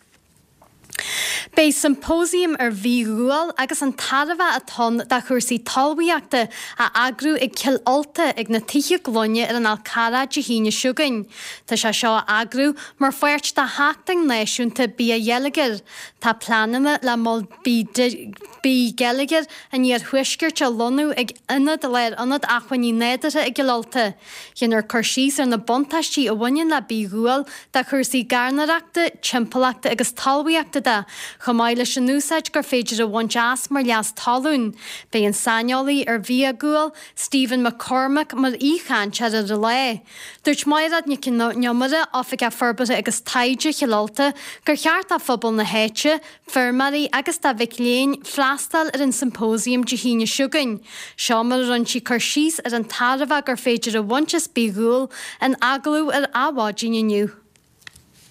Beidh symposium ar bhithghual agus an tairbhe atá ann do chúrsaí talmhaíochta á eagrú ag Cill Ulta ag na Tithe Glóine ar an Fhál Carrach Dé hAoine seo chugainn. Tá sé seo á eagrú mar pháirt de Sheachtain Náisiúnta Bithgheilleagair. Tá pleananna le Mol Bithgheilleagair an Iarthuaiscirt a lonnú ag ionad Lárionad Acmhainní Nádúrtha i gCill Ulta. Déanfar cur síos ar na buntáistí a bhaineann le bithghual do chúrsaí gairneoireachta, timpeallachta agus talmhaíochta de, chomh maith leis an úsáid gur féidir a bhaint as mar leas talún. Beidh an saineolaí ar bhithghual, Stephen McCormack, mar aoichainteoir ar an lá. Dúirt Mairéad Nic an Iomaire, Oifigeach Forbartha agus Taighde Chill Ulta, gur cheart do phobal na háite, feirmeoirí agus do mhic léinn freastal ar an symposium Dé hAoine seo chugainn. Seo mar a rinne sí cur síos ar an tairbhe gur féidir a bhaint as bithghual in agallamh ar Adhmhaidin inniu.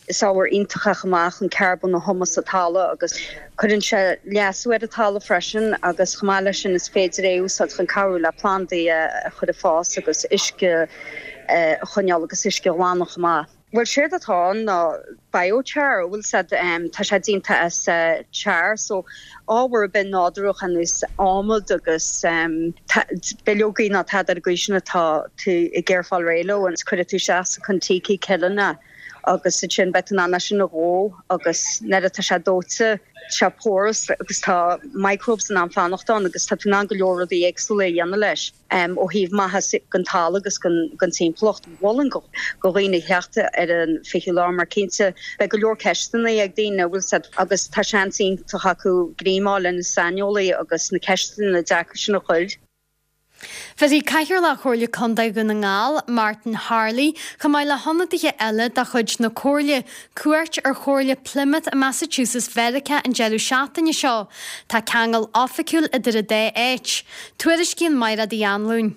Is ábhar iontach é chomh maith chun carbón a thumadh sa talamh agus cuireann sé leasú ar an talamh freisin agus chomh maith leis sin is féidir é a úsáid chun cabhrú le plandaí a chur ag fás agus uisce a choinneáil agus uisce a ghlanadh chomh maith. Bhuel séard atá ann ná biochar, bhfuil said tá sé déanta as char so ábhar ar bith nádúrach ar nós adhmad agus bileogaí nó tada ar an gcaoi sin atá tú ag iarraidh fáil réidh leo agus cuirfidh tú isteach sa Kon-Tiki kiln é agus ansin beidh tú in ann é sin a dhó agus nuair atá sé dóite tá sé porous agus tá microbes in ann fanacht ann agus tá tú in ann go leor rudaí éagsúla a dhéanamh leis. ó thaobh maitheas don talamh agus don timpeallacht. Mholfainn do dhaoine theacht ar an fichiú lá mar cinnte beidh go leor ceisteanna ag daoine bhfuil said agus tá seans iontach acu greim a fháil le na saineolaí agus na ceisteanna deacra sin a chur. Bhéarfaidh Cathaoirleach Chomhairle Contae Dhún na nGall, Martin Harley, chomh maith le hionadaithe eile de chuid na Comhairle, cuairt ar Chomhairle Plymouth i Massachusetts Mheiriceá an deireadh seachtaine seo. Tá ceangal oifigiúil idir an dá áit. Tuairiscíonn Mairéad Uí Anluain.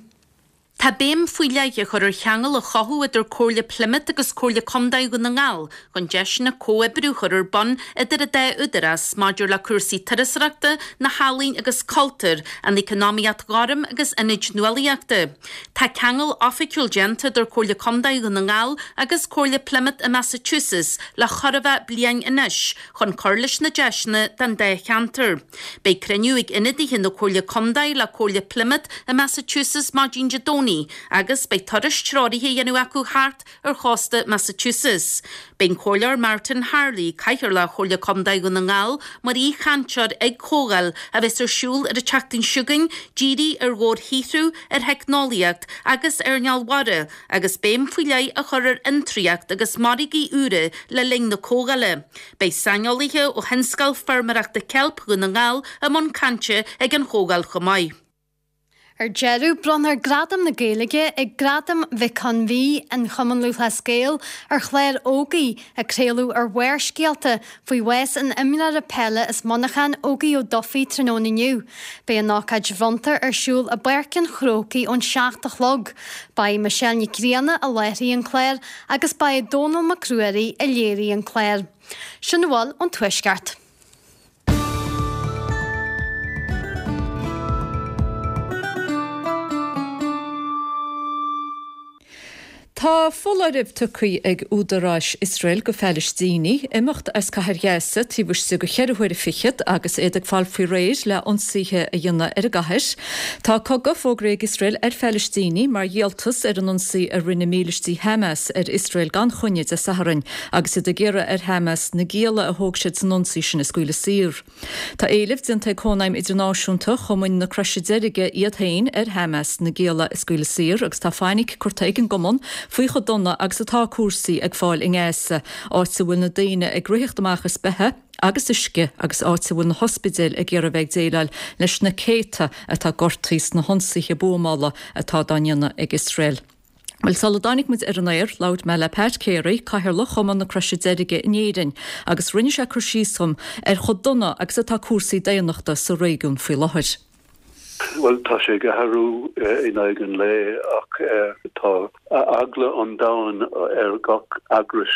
Tá béim faoi leith á chur ar cheangal a chothú idir Comhairle Plymouth agus Comhairle Contae Dhún na nGall chun deiseanna comhoibriú a chur ar bun idir an dá údarás maidir le cúrsaí turasóireachta, na healaíon agus cultúir, an economaíocht ghorm agus ionaid nuálaíochta. Tá ceangal oifigiúil déanta idir Comhairle Contae Dhún na nGall agus Comhairle Plymouth i Massachusetts le chóir a bheith bliain anois chun cur leis na deiseanna don dá cheantar. Beidh cruinniú ag ionadaithe na Comhairle Contae le Comhairle Plymouth i Massachusetts maidin Dé Domhnaigh Domhnaigh agus beidh turas treoraithe á dhéanamh acu thart ar chósta Massachusetts. Beidh an Comhairleoir Martin Harley, Cathaoirleach Chomhairle Contae Dhún na nGall, mar aoichainteoir ag comhdháil a bheas ar siúl ar an tseachtain seo chugainn, dírithe ar dhobharshaothrú, ar theicneolaíocht agus ar earnáil mhara, agus béim faoi leith á chur ar fhiontraíocht agus margaí úra le linn na comhdhála. Beidh saineolaithe ó thionscal feirmeoireachta ceilp Dhún na nGall i mbun cainte ag an chomhdháil chomh maith. Ar deireadh, bronnfar Gradam na Gaeilge ag Gradaim Mhic Con Mhí an Chumann Lúthchleas Gael ar chlár Ógie a craoladh ar Bharrscéalta faoi bhás an imreora peile as Muineachán Ógie Ó Dufaigh tráthnóna inniu. Beidh an ócáid bhronnta ar siúl i bPáirc an Chrócaigh ón seacht a chlog. Ba í Michelle Nic Grianna a láithrigh an clár agus ba é Dónall Mac Ruairí a léirigh an clár. Sin a bhfuil ón Tuaisceart. Tá foláireamh tugtha ag údaráis Iosrael go Phalaistínigh imeacht as cathair Ghaza taobh istigh de cheithre huaire fichead agus iad ag fáil faoi réir le ionsaithe a dhéanamh ar an gcathair. Tá cogadh fógraithe ag Iosrael ar Phalaistínigh mar dhíoltas ar an ionsaí a rinne mílístí Hamas ar Iosrael gan choinne Dé Sathairn agus iad ag iarraidh ar Hamas na gialla a thóg siad san ionsaí sin a scaoileadh saor. Tá éileamh déanta ag Cónaidhm Idirnáisiúnta Chumainn na Croise Deirge iad féin ar Hamas na gialla a scaoileadh saor agus tá fainic curtha ag an gcumann faoi chomh dona agus atá cúrsaí ag fáil i nGaza, áit a bhfuil na daoine ag ritheacht amach as beatha agus uisce agus áit a bhfuil na hospidéil ag iarraidh bheith ag déileáil leis na céadta atá gortaithe sna hionsaithe buamála atá dá ndéanamh ag Iosrael. Bhuel, sula dtáinig muid ar an aer, labhair mé le Pat Carey, Cathaoirleach Chumann na Croise Deirge in Éirinn, agus rinne sé cur síos dhom ar chomh dona agus atá cúrsaí daonnachta sa réigiún faoi láthair. Bhuel, tá sé ag athrú in aghaidh an lae ach tá eagla an domhain ar gach eagras,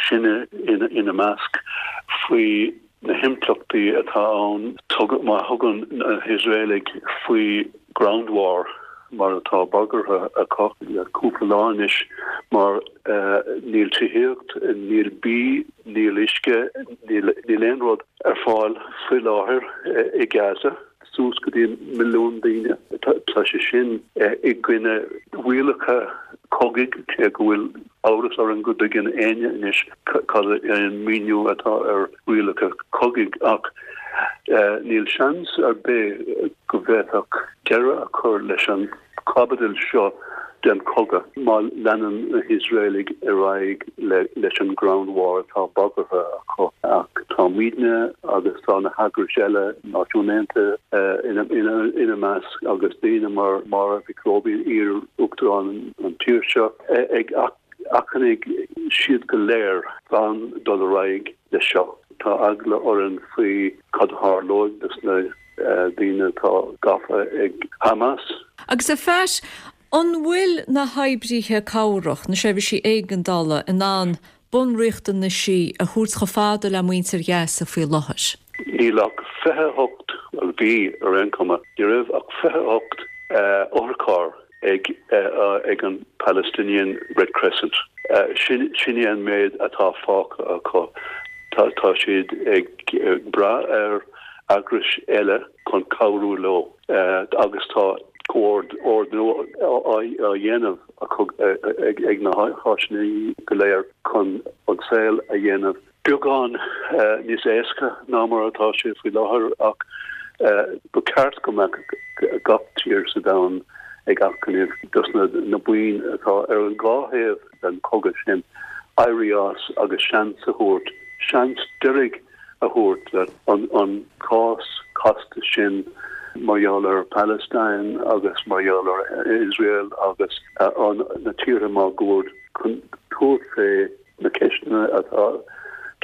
sinne ina measc, faoi na himpleachtaí atá ann má thugann na hIosraelaigh faoi ground war mar atá bagartha acu le cúpla lá anois mar níl tithíocht, níl bia, níl uisce, níl aon rud ar fáil faoi láthair i Gaza. Suas go dtí milliún daoine. Tá sé sin i gcoinne rialacha cogaidh, cé go bhfuil amhras orainn go dtuigeann éinne anois cad é an míniú atá ar rialacha cogaidh ach níl seans ar bith go bhféadfadh deireadh a chur leis an chaibidil seo den chogadh má leanann na hIosraelaigh ar aghaidh leis an ground war atá bagartha acu. Ach tá muidne agus tá na heagrais eile, Náisiúin Aontaithe ina measc, agus daoine mar Máire Mhic Róibín, iar-uachtarán an tír seo, ag achainí siad go léir gan dul ar aghaidh leis seo. Tá eagla orainn faoi cad a tharlóidh dos na daoine atá gafa ag Hamas. Agus a Phat, an bhfuil na hoibrithe cabhrach, na seirbhísí éigeandála, in ann bunriachtanaisí a thabhairt chomh fada le muintir Ghaza faoi láthair? Níl ach fiche a hocht, bhuel bhí ar aon chuma, ní raibh ach fiche a hocht otharcharr ag ag an Palestinian Red Crescent. Sin sin é an méid atá fágtha acu. Tá tá siad ag brath ar eagrais eile chun cabhrú leo agus tá comhordú á dhéanamh acu ag na háiteanna go léir chun an saol a dhéanamh beagán níos éasca ná mar atá sé faoi láthair ach ba cheart go mbeadh gach tír sa domhan ag achainí dos na buíon atá ar an dhá thaobh den chogadh sin éirí as agus seans a thabhairt, seans deiridh a thabhairt le an cás casta sin mar gheall ar Palestine agus mar gheall ar Iosrael agus na tíortha máguaird chun tabhairt fé na ceisteanna atá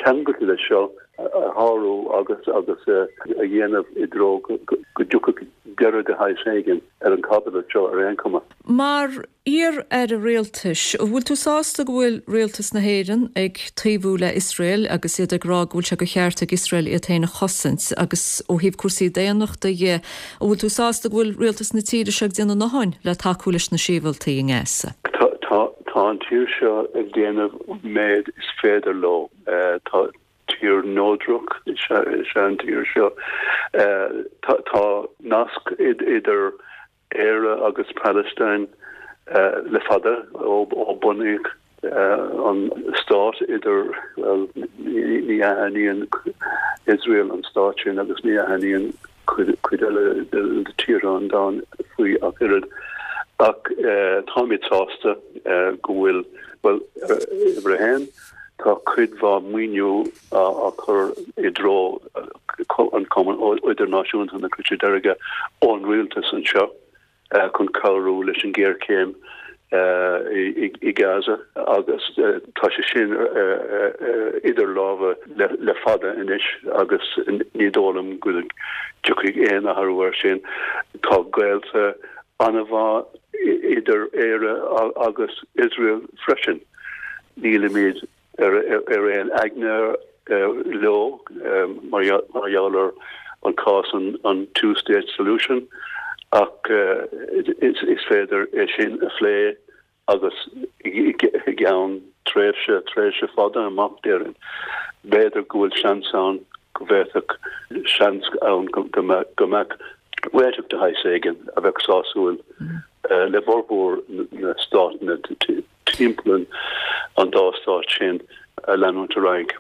ceangailte leis seo a shárú agus agus a dhéanamh i dtreo go dtiocfadh deireadh de shaghas éigin ar an gcaibidil seo ar aon chuma. Mar iar-aire rialtais, an bhfuil tú sásta go bhfuil rialtas na hÉireann ag taobhú le Iosrael agus iad ag rá go bhfuil sé de cheart ag Iosrael iad féin a chosaint agus ó thaobh cúrsaí daonnachta dhe, an bhfuil tú sásta go bhfuil rialtas na tíre seo ag déanamh a ndóthain le tacú leis na sibhialtaigh i nGaza? Tá tá an tír seo ag déanamh méid is féidir leo. Tá tír neodrach is ea an tír seo. Tá nasc idir Éire agus Palestine le fada ó bunaíodh an stát idir, bhuel, ní aithníonn Iosrael an stát sin agus ní aithníonn cuid eile de tíortha an domhain faoi ach oiread. Ach táimid sásta go bhfuil, bhuel, uimhir a haon, tá cuid mhaith maoiniú á chur i dtreo an Cumann Idirnáisiúnta na Croise Deirge ón rialtas anseo chun cabhrú leis an ghéarchéim i Gaza agus tá sé sin idir lámha le fada anois agus ní dóigh liom go dtiocfaidh aon athrú air sin. Tá gaolta an-mhaith idir Éire agus Iosrael freisin. Nílimid ar aon aigne leo mar gheall ar an cás an two state solution ach is féidir é sin a phlé agus i gceann tréimhse, tréimhse fada amach déarfainn. B'fhéidir go bhfuil seans ann go bhféadfadh seans ann go mbeadh réiteach de shaghas éigin a bheadh sásúil le formhór na státanna timpeall an dá stát sin a leanúint ar aghaidh.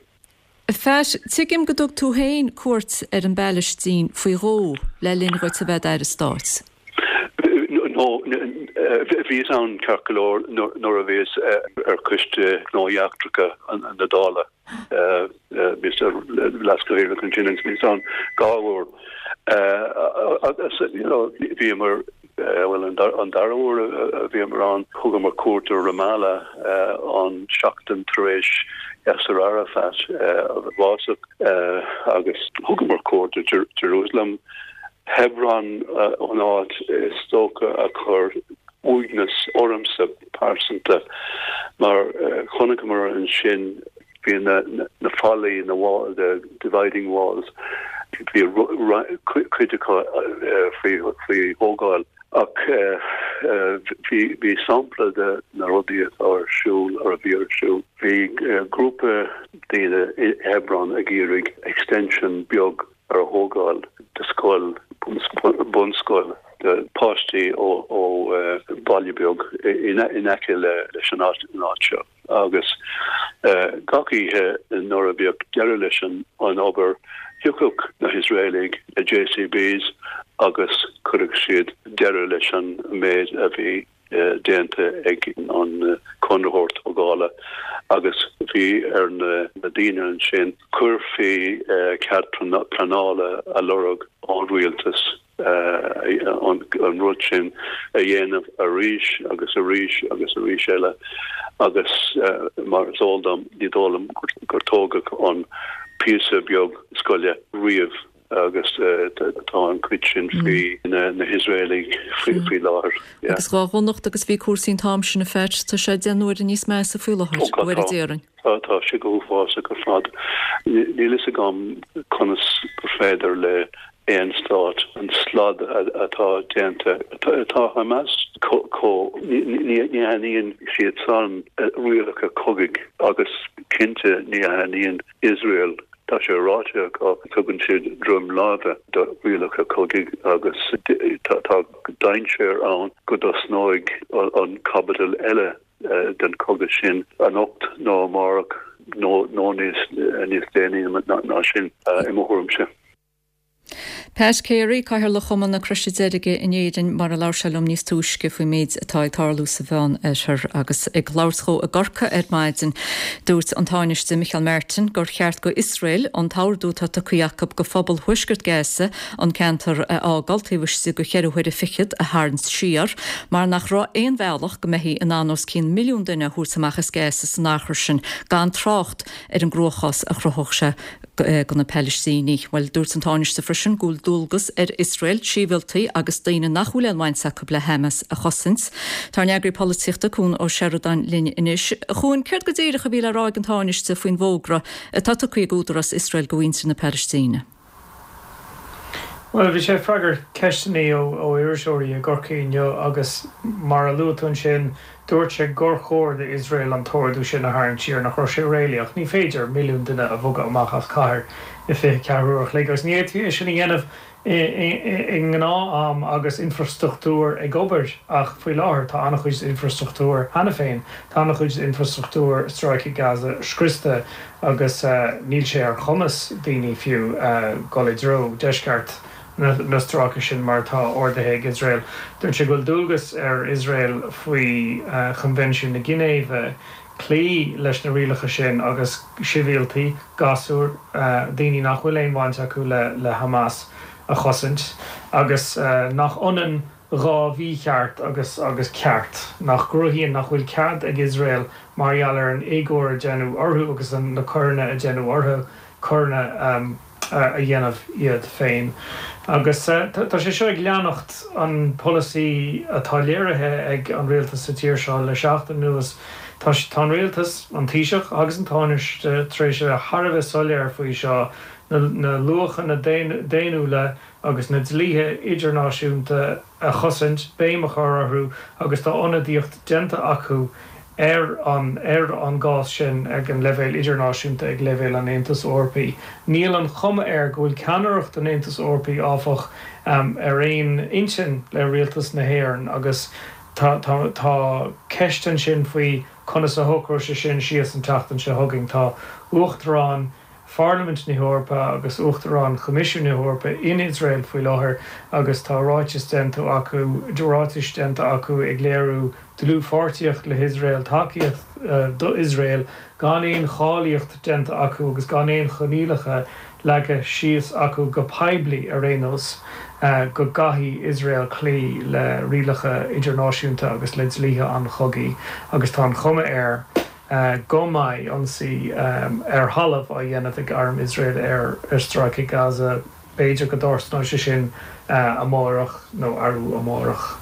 A Phat, tuigim go dtug tú féin cuairt ar an bPalaistín faoi dhó le linn dhuit a bheith i d'Aire Stáit. No, bhíos ann ceart go leor nuair a bhíos ar Choiste Gnóthaí Eachtracha na Dála. Bhíos leaschathaoirleach ansin agus bhíos ann dhá uair. Agus, you know, bhíomar bhuel, an dara huair a bhíomar ann, thugamar cuairt ar Ramallah an seachtain tar éis Yasser Arafat a bhásaigh agus thugamar cuairt ar Jerusalem. Hebron an áit is dócha a chuir uaigneas ormsa pearsanta mar chonaiceamar ansin bhí na na fallaí na wall the dividing walls bhí cuid acu faoi faoi thógáil ach bhí bhí sampla de na rudaí atá ar siúl ar a bhí ar siúl. Bhí grúpa daoine i Hebron ag iarraidh extension beag a thógáil de scoil bunscoil do páistí ó ó baile beag in in aice le leis an áit an áit seo agus gach oíche nuair a bhíodh deireadh leis an an obair thiocfadh na hIosraelaigh le JCBs agus chuirfeadh siad deireadh leis an méid a bhí déanta ag an conraitheoir tógála agus bhí ar na daoine ansin cur faoi cead pleanála a lorg ón rialtas an rud sin a dhéanamh arís agus arís agus arís eile agus mar is eol dom ní dóigh liom gur tógadh an píosa beag scoile riamh agus tá an cuid sin faoi na hIosraelaigh faoi láthair. Agus dhá dhonacht agus bhí cúrsaí an t-am sin a Phat, tá sé deich n-uaire níos measa faoi láthair, uair a déarfainn. Tá, tá sé go huafásach ar fad. Níl fhios agam conas gur féidir le aon stát an slad atá déanta, tá Hamas chomh, ní aithníonn siad san rialacha cogaidh agus cinnte ní aithníonn Iosrael Tá sé ráite acu, tugann siad droim láimhe do rialacha cogaidh agus tá dainséar ann go dtosnóidh an caibidil eile den chogadh sin anocht nó amárach nó níos déanaí ná sin, i mo thuairimse. Pat Carey, Cathaoirleach Chumann na Croise Deirge in Éirinn, mar a labhair sé liom níos túisce faoin méid atá ag tarlú sa Mheán Oirthear. Agus ag labhairt dhó i gCorcaigh ar maidin, dúirt an Tánaiste Micheál Martin gur cheart go Iosrael an t-ordú atá tugtha acu go phobal thuaisceart Gaza an ceantar a fhágáil taobh istigh de cheithre huaire fichead a tharraingt siar mar nach raibh aon bhealach go mbeifí in ann os cionn milliún duine a thabhairt amach as Gaza san achar sin gan trácht ar an gcruachás a chruthódh sé do na Palaistínigh. Bhuel, dúirt an Tánaiste freisin go bhfuil dualgas ar Iosrael sibhialtaigh agus daoine nach bhfuil aon bhaint acu le Hamas a chosaint. Tá ár n-eagraí polaitíochta, Cuan Ó Seireadáin linn anois. A Chuain, céard go díreach a bhí le rá ag an Tánaiste faoin bhfógra atá tugtha ag údarás Iosrael go mhuintir na Palaistíne? Bhuel, bhí sé ag freagairt ceisteanna ó iriseoirí i gCorcaigh inniu agus mar a luaigh tú ansin, Dúirt sé gur chóir d'Iosrael an t-ordú sin a tharraingt siar, nach raibh sé réalaíoch. Ní féidir milliún duine a bhogadh amach as cathair i fiche ceathair uair a chloig agus ní fhéadfaí é sin a dhéanamh i ngnáth-am agus infrastruchtúr ag obair ach faoi láthair tá an-chuid d'infrastruchtúr cheana féin, tá an-chuid d'infrastruchtúr Stráice Gaza scriosta agus níl sé ar chumas daoine fiú dul i dtreo deisceart na stráice sin mar atá ordaithe ag Iosrael. Dúirt sé go bhfuil dualgas ar Iosrael faoi Choinbhinsiún na Ginéive cloí leis na rialacha sin agus sibhialtaigh, gasúir, daoine nach bhfuil aon bhaint acu le Hamas a chosaint agus nach ionann dhá mhícheart agus agus ceart, nach gcruthaíonn nach bhfuil cead ag Iosrael mar gheall ar an éagóir a deineadh orthu agus na coireanna a deineadh orthu, coireanna a dhéanamh iad féin. Agus tá sé seo ag leanacht an polasaí atá léirithe ag an rialtas sa tír seo le seachtain anuas. Tá tá an rialtas, an Taoiseach agus an Tánaiste tar éis a bheith thar a bheith soiléir faoi seo, na na luachanna daonnúla agus na dlíthe idirnáisiúnta a chosaint, béim a chur orthu agus tá ionadaíocht déanta acu ar an ar an gcás sin ag an leibhéal idirnáisiúnta, ag leibhéal an Aontais Eorpaigh. Níl an chuma air go bhfuil ceannaireacht an Aontais Eorpaigh, áfach, ar aon intinn le rialtas na hÉireann agus tá tá tá ceist ansin faoi conas a shocróidh sé sin síos an tseachtain seo chugainn. Tá Uachtarán Pharlaimint na hEorpa agus Uachtarán Choimisiún na hEorpa in Iosrael faoi láthair agus tá ráiteas déanta acu ráitis déanta acu ag léiriú dlúthpháirtíocht le hIosrael, tacaíocht d'Iosrael gan aon cháilíocht déanta acu agus gan aon choinníollacha leagtha síos acu go poiblí ar aon nós go gcaithfidh Iosrael cloí le rialacha idirnáisiúnta agus le dlíthe an chogaidh agus tá an chuma air go mbeidh ionsaí ar thalamh á dhéanamh ag arm Iosrael ar Stráice Gaza. B'fhéidir go dtarlóidh sé sin amárach nó arú amárach.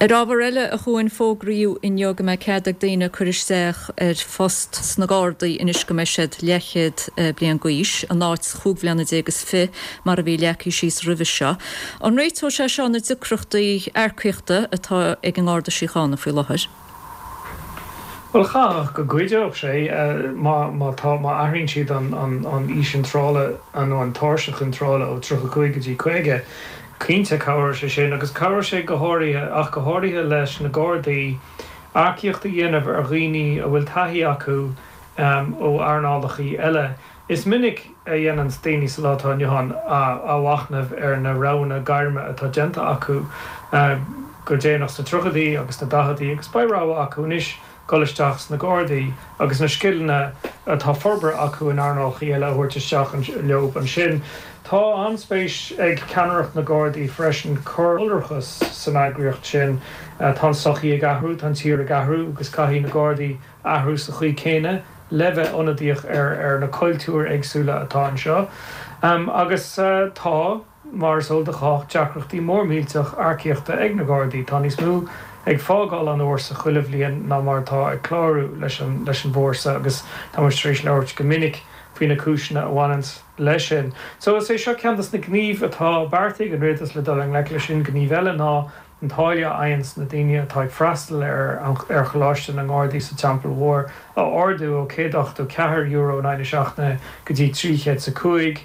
Ar ábhar eile, a Chuain, fógraíodh inniu go mbeidh cead ag daoine cur isteach ar phost sna Gardaí anois go mbeidh siad leathchéad bliain d'aois, in áit chúig bhliana déag is fiche mar a bhí leagtha síos roimhe seo. An réiteoidh sé seo na deacrachtaí earcaíochta atá ag an nGarda Síochána faoi láthair? Bhuel, chaithfeadh go gcuideodh sé má má tá má athraíonn siad an an an aois iontrála nó an tairseach iontrála ó tríocha cúig go dtí caoga. Cinnte cabhróidh sé sin agus cabhróidh sé go háirithe ach go háirithe leis na Gardaí earcaíocht a dhéanamh ar dhaoine a bhfuil taithí acu ó earnálacha eile. Is minic a dhéananns daoine sa lá atá inniu ann athmhachnamh ar na roghanna gairme atá déanta acu go déanach sna tríochaidí agus sna daicheadaí agus beidh rogha acu anois dul isteach sna Gardaí agus na scileanna atá forbartha acu in earnálacha eile a thabhairt isteach leo ansin. Tá an-spéis ag ceannaireacht na Gardaí freisin cur iolrachas san eagraíocht sin. Tá an tsochaí ag athrú, tá an tír ag athrú agus caithfidh na Gardaí athrú sa chaoi chéanna le bheith ionadaíoch ar ar na cultúir éagsúla atá anseo. Agus tá, mar is eol do chách, deacrachtaí mór millteach earcaíochta ag na Gardaí. Tá níos mó ag fágáil an fhórsa chuile bhliain ná mar atá ag clárú leis an leis an bhfórsa agus tá muid tar éis labhairt go minic faoi na cúiseanna a bhaineanns leis sin. So is é seo ceann des na gnímh atá beartaithe ag an rialtas le dul i ngleic leis sin. Gníomh eile ná an táille a fhaigheanns na daoine atá ag freastal ar ar Choláiste na nGardaí sa Teampall Mhór a ardú ó céad ochtó ceathair euro in aghaidh na seachtaine go dtí trí chéad is a cúig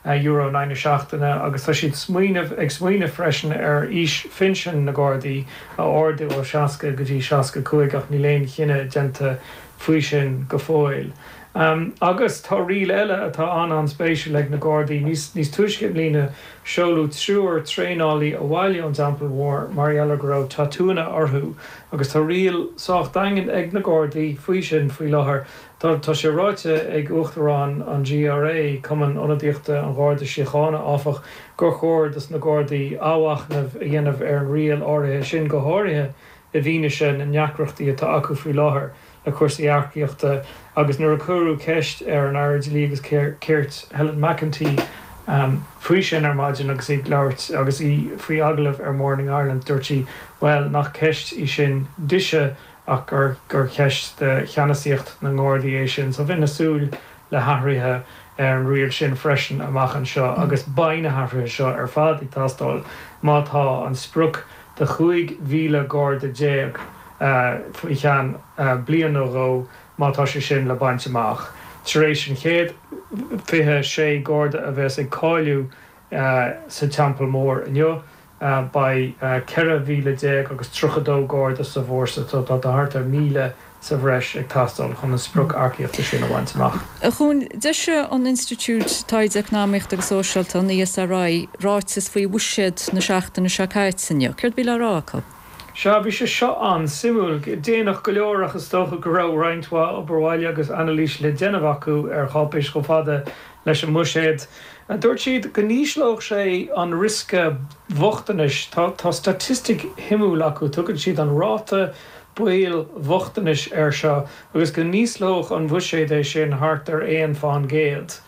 euro in aghaidh na seachtaine agus tá siad smaoineamh ag smaoineamh freisin ar aois phinsin na Gardaí a ardú ó seasca go dtí seasca cúig ach níl aon chinneadh déanta faoi sin go fóill. Agus tá riail eile atá an-an-spéisiúil ag na Gardaí. Níos níos túisce i mbliana seoladh triúr traenálaí abhaile ón dTeampall Mhór mar gheall ar go raibh tatúnna orthu agus tá riail sách daingean ag na Gardaí faoi sin faoi láthair. Tá tá sé ráite ag Uachtarán an GRA, Cumann Ionadaíochta an Gharda Síochána, áfach, gur chóir dos na Gardaí athmhachnamh a dhéanamh ar an riail áirithe sin, go háirithe i bhfianaise na ndeacrachtaí atá acu faoi láthair le cúrsaí earcaíochta agus nuair a cuireadh ceist ar an Aire Dlí agus Cirt, Helen McEntee, faoi sin ar maidin agus í ag labhairt agus í faoi agallamh ar Morning Ireland, dúirt sí, bhuel, nach ceist í sin dise ach gur gur cheist de cheannasaíocht na nGardaí é sin. So bheinn ag súil le hathruithe ar an riail sin freisin amach anseo agus beidh na hathruithe seo ar fad ag teastáil má tá an sprioc de chúig mhíle garda déag faoi cheann bliain nó dhó má tá sé sin le baint amach. Tar éis an chéad fiche sé garda a bheas ag cáiliú sa Teampall Mór inniu, beidh ceithre mhíle déag agus tríocha dó garda sa bhfórsa, so tá thart ar míle sa bhreis ag teastáil chun an sprioc earcaíochta sin a bhaint amach. A Chuain, d'eisigh an Institiúid Taighde Eacnamaíochta agus Sóisialta, an ESRI, ráiteas faoi bhuiséad na seachtaine seo caite inniu. Céard a bhí le rá acu? Sea, bhí sé seo an-suimiúil. Déanach go leor ach is dócha go raibh roinnt mhaith obair bhaile agus anailís le déanamh acu ar cháipéis chomh fada leis an mbuiséad. Dúirt siad go n-ísleodh sé an riosca bochtanais. Tá staitistic shuimiúil acu, tugann siad an ráta baoil bhochtanais air seo agus go n-ísleodh an buiséad é sin thart ar aon fán gcéad.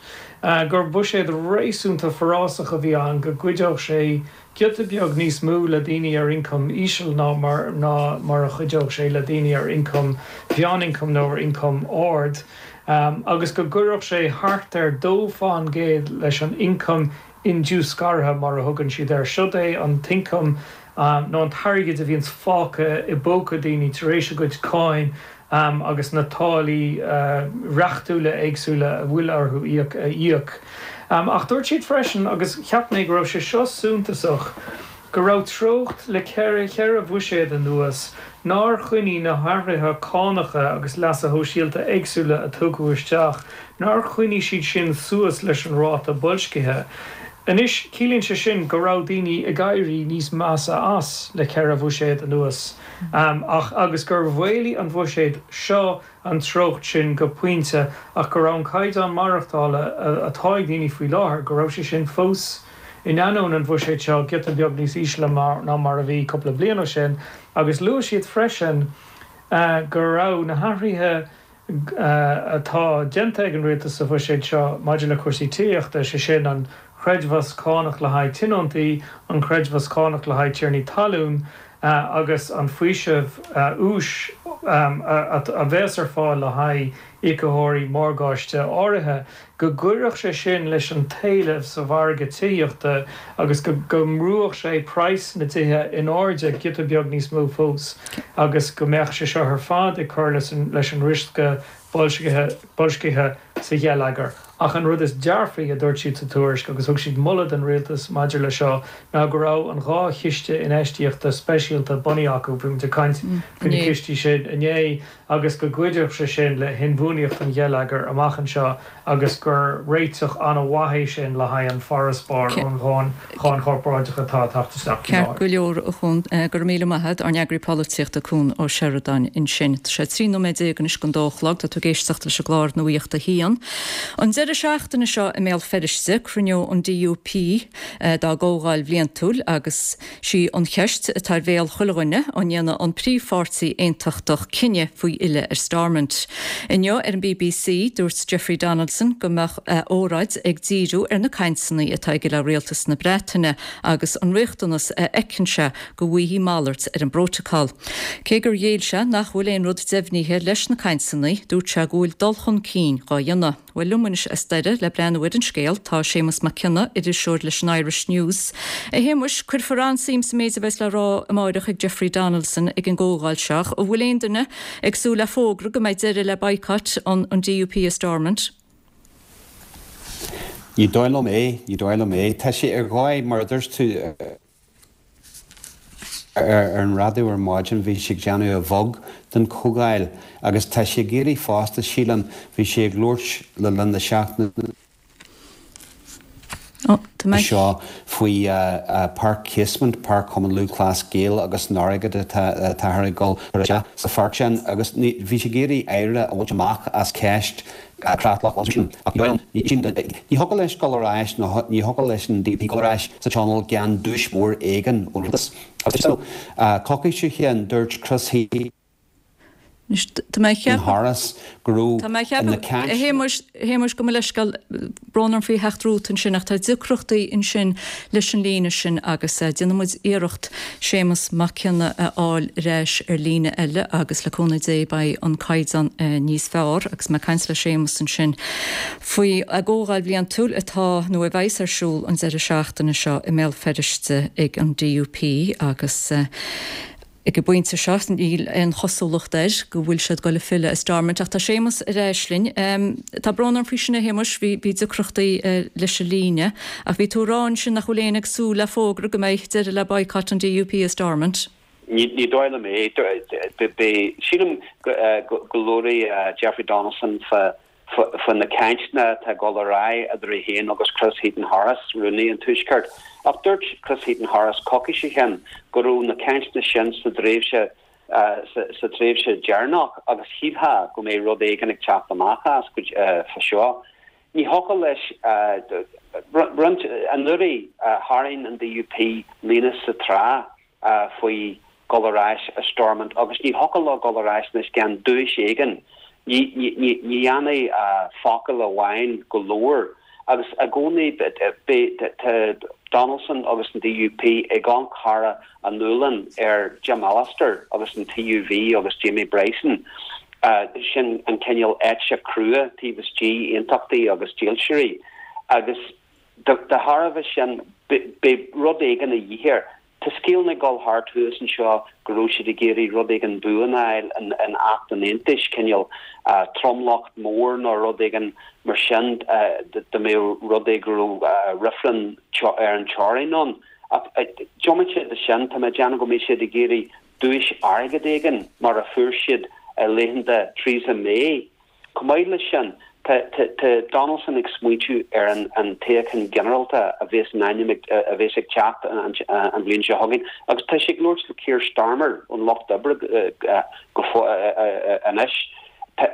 Gur buiséad réasúnta forásach a bhí ann, go gcuideodh sé giota beag níos mó le daoine ar ioncam íseal ná mar ná mar a chuideodh sé le daoine ar ioncam mheánioncam nó ar ioncam ard, agus go gcuirfeadh sé thart ar dó fán gcéad leis an ioncam indiúscartha, mar a thugann siad air. Siod é an t-ioncam nó an t-airgead a bhíonns fágtha i bpóca daoine tar éis a gcuid cáin agus na táillí reachtúla éagsúla a bhfuil orthu íoc a íoc. Ach dúirt siad freisin, agus cheap mé go raibh sé seo suntasach, go raibh treocht le ceithre cheithre bhuiséad anuas nár choinnigh na hathruithe cánacha agus leasa shóisialta éagsúla a tugadh isteach, nár choinnigh siad sin suas leis an ráta boilscithe. Anois, ciallaíonn sé sin go raibh daoine ag éirí níos measa as le ceithre bhuiséad anuas, ach agus gur mhaolaigh an bhuiséad seo an treocht sin go pointe ach go raibh an caighdeán maireachtála atá ag daoine faoi láthair, go raibh sé sin fós, in ainneoin an bhuiséid seo, giota beag níos ísle ná mar a bhí cúpla bliain ó sin. Agus luaigh siad freisin go raibh na hathruithe atá déanta ag an rialtas sa bhuiséad seo maidir le cúrsaí tithíochta, sé sin an creidmheas cánach le haghaidh tionóntaí, an creidmheas cánach le haghaidh tiarnaí talún agus an faoiseamh úis a bheas ar fáil le haghaidh íocaitheoirí morgáiste áirithe, go gcuirfeadh sé sin leis an t-éileamh sa mhargadh tithíochta agus go go mbrúfadh sé praghas na dtithe in airde giota beag níos mó fós agus go mbeadh sé seo ar fad ag cur leis an riosca boilscithe sa gheilleagar. Ach an rud is dearfaí a dúirt siad sa tuairisc, agus thug siad moladh don rialtas maidir leis seo, ná go raibh an dhá chiste infheistíochta speisialta bunaithe acu, bhí muid ag caint faoi na cistí sin inné, agus go gcuideodh sé sin le hinbhuanaíocht an gheilleagair amach anseo agus gur réiteach an-mhaith é sin le haghaidh an farasbarr ón cháin chorparáideach atá ag teacht isteach faoi Ceart láthair. go leor, a Chuan. Go raibh míle maith agat, ár n-eagraí polaitíochta Cuan Ó Seireadáin ansin. Tá sé trí nóiméad déag anois don dó a chlog. Tá tú ag éisteacht leis an gclár Nuacht a hAon. An deireadh seachtaine seo i mBéal Feirste, cruinneoidh an DUP dá gcomhdháil bhliantúil agus sí an cheist atá ar bhéal chuile dhuine, an ndéanfaidh an príomhpháirtí aontachtach cinneadh faoi fhilleadh ar Stormont. Inniu ar an bbc, dúirt Jeffrey Donaldson go mbeadh a óráid ag díriú ar na cainteanna atá aige le rialtas na Breataine agus an riachtanas a fheiceann sé go bhfaighfí malairt ar an bprótacal. Cé gur ghéill sé nach bhfuil aon rud deimhnithe leis na cainteanna, dúirt sé go bhfuil dul chun cinn dhá dhéanamh. Bhuel liom anois as Doire le breathnú ar an scéal tá Séamus Mac Cionnaith, iriseoir leis an Irish News. A Shéamuis, cuirfear an-suim sa méid a bheas le rá amáireach ag Jeffrey Donaldson ag an gcomhdháil seo. An bhfuil aon duine ag súil le fógra go mbeidh deireadh le boycott an an DUP i Stormont? Ní dóigh liom é, ní dóigh liom é. Tá sé ar dhóigh mar a dúirt tú ar an raidió ar maidin bhí sé ag déanamh a bheag den chomhdháil agus tá sé ag iarraidh fosta sílim bhí sé ag labhairt le linn na seachtaine seo faoi Páirc Casement, Páirc Chumann Lúthchleas Gael agus an airgead atá ag dul isteach sa pháirc sin agus bhí sé ag iarraidh éirí a bhaint amach as ceist creatlach ach ní thiocfadh leis dul ar ais nó ní thiocfadh leis an DUP dul ar ais sa Tionól gan duais mhór éigin ón rialtas. Agus coicís ó shin dúirt Chris Healy Anois, tá mé ag ceapadh. Harris go raibh Tá mé ag ceapadh, a Shéamuis, a Shéamuis, gabh mo leithscéal, brón orm faoi theacht romhat ansin ach tá deacrachtaí ansin leis an líne sin agus déanfaidh muid iarracht Séamus Mac Cionnaith a fháil ar ais ar líne eile agus le cúnamh Dé beidh an caighdeán níos fearr agus mé ag caint le Séamus ansin faoi a gcomhdháil bhliantúil atá nó a bheas ar siúl an deireadh seachtaine seo i mBéal Feirste ag an DUP agus Ag an bpointe seo, níl aon chosúlacht air go bhfuil siad ag dul a filleadh i Stormont. Ach tá Séamus ar ais linn. Tá brón orm faoi sin, a Shéamuis, bhí bhí deacrachtaí leis an líne. Ach bhí tú ag rá ansin nach bhfuil éinne ag súil le fógra go mbeidh deireadh le boycott an DUP i Stormont. Ní ní dóigh liom é. Beidh, sílim go go labhróidh Jeffrey Donaldson fá fá na cainteanna atá ag dul ar aghaidh idir é féin agus Chris Heaton-Harris, Rúnaí an Tuaiscirt. Ach dúirt Chris Heaton-Harris coicís ó shin go raibh na cainteanna sin sa dtréimhse sa tréimhse deireanach agus shílfeá go mbeidh rud éigin ag teacht amach as fá seo. Ní thiocfadh leis roinnt anuraidh tharraing an DUP líne sa trá faoi dhul ar ais i Stormont agus ní thiocfadh leo dul ar ais anois gan duais éigin. Ní dhéanfaidh focal amháin go leor agus i gcónaí beidh tá Donaldson agus an DUP ag amharc thar a ngualainn ar Jim Allister agus an TUV agus Jamie Bryson. Sin an cineál eite crua taobh istigh aontachtaí agus dílseoirí agus de thairbhe sin beidh rud éigin a dhíth air. Tá scéalna ag dul thart thuas anseo go raibh siad ag iarraidh rud éigin buan a fháil in Acht an Aontais, cineál tromlach mór nó rud éigin mar sin dá mbeadh rud é go raibh reifreann ar an teorainn ann. Ach diomaite de sin, tá mé ag déanamh go mbeidh siad ag iarraidh duais airgid éigin mar a fuair siad i laethanta Theresa May. Chomh maith leis sin, tá Donaldson ag smaointiú ar an toghchán ginearálta a bheas in ainm a bheas ag teacht an bhliain seo chugainn agus tá sé ag labhairt le Keir Starmer ón Lucht Oibre go anois.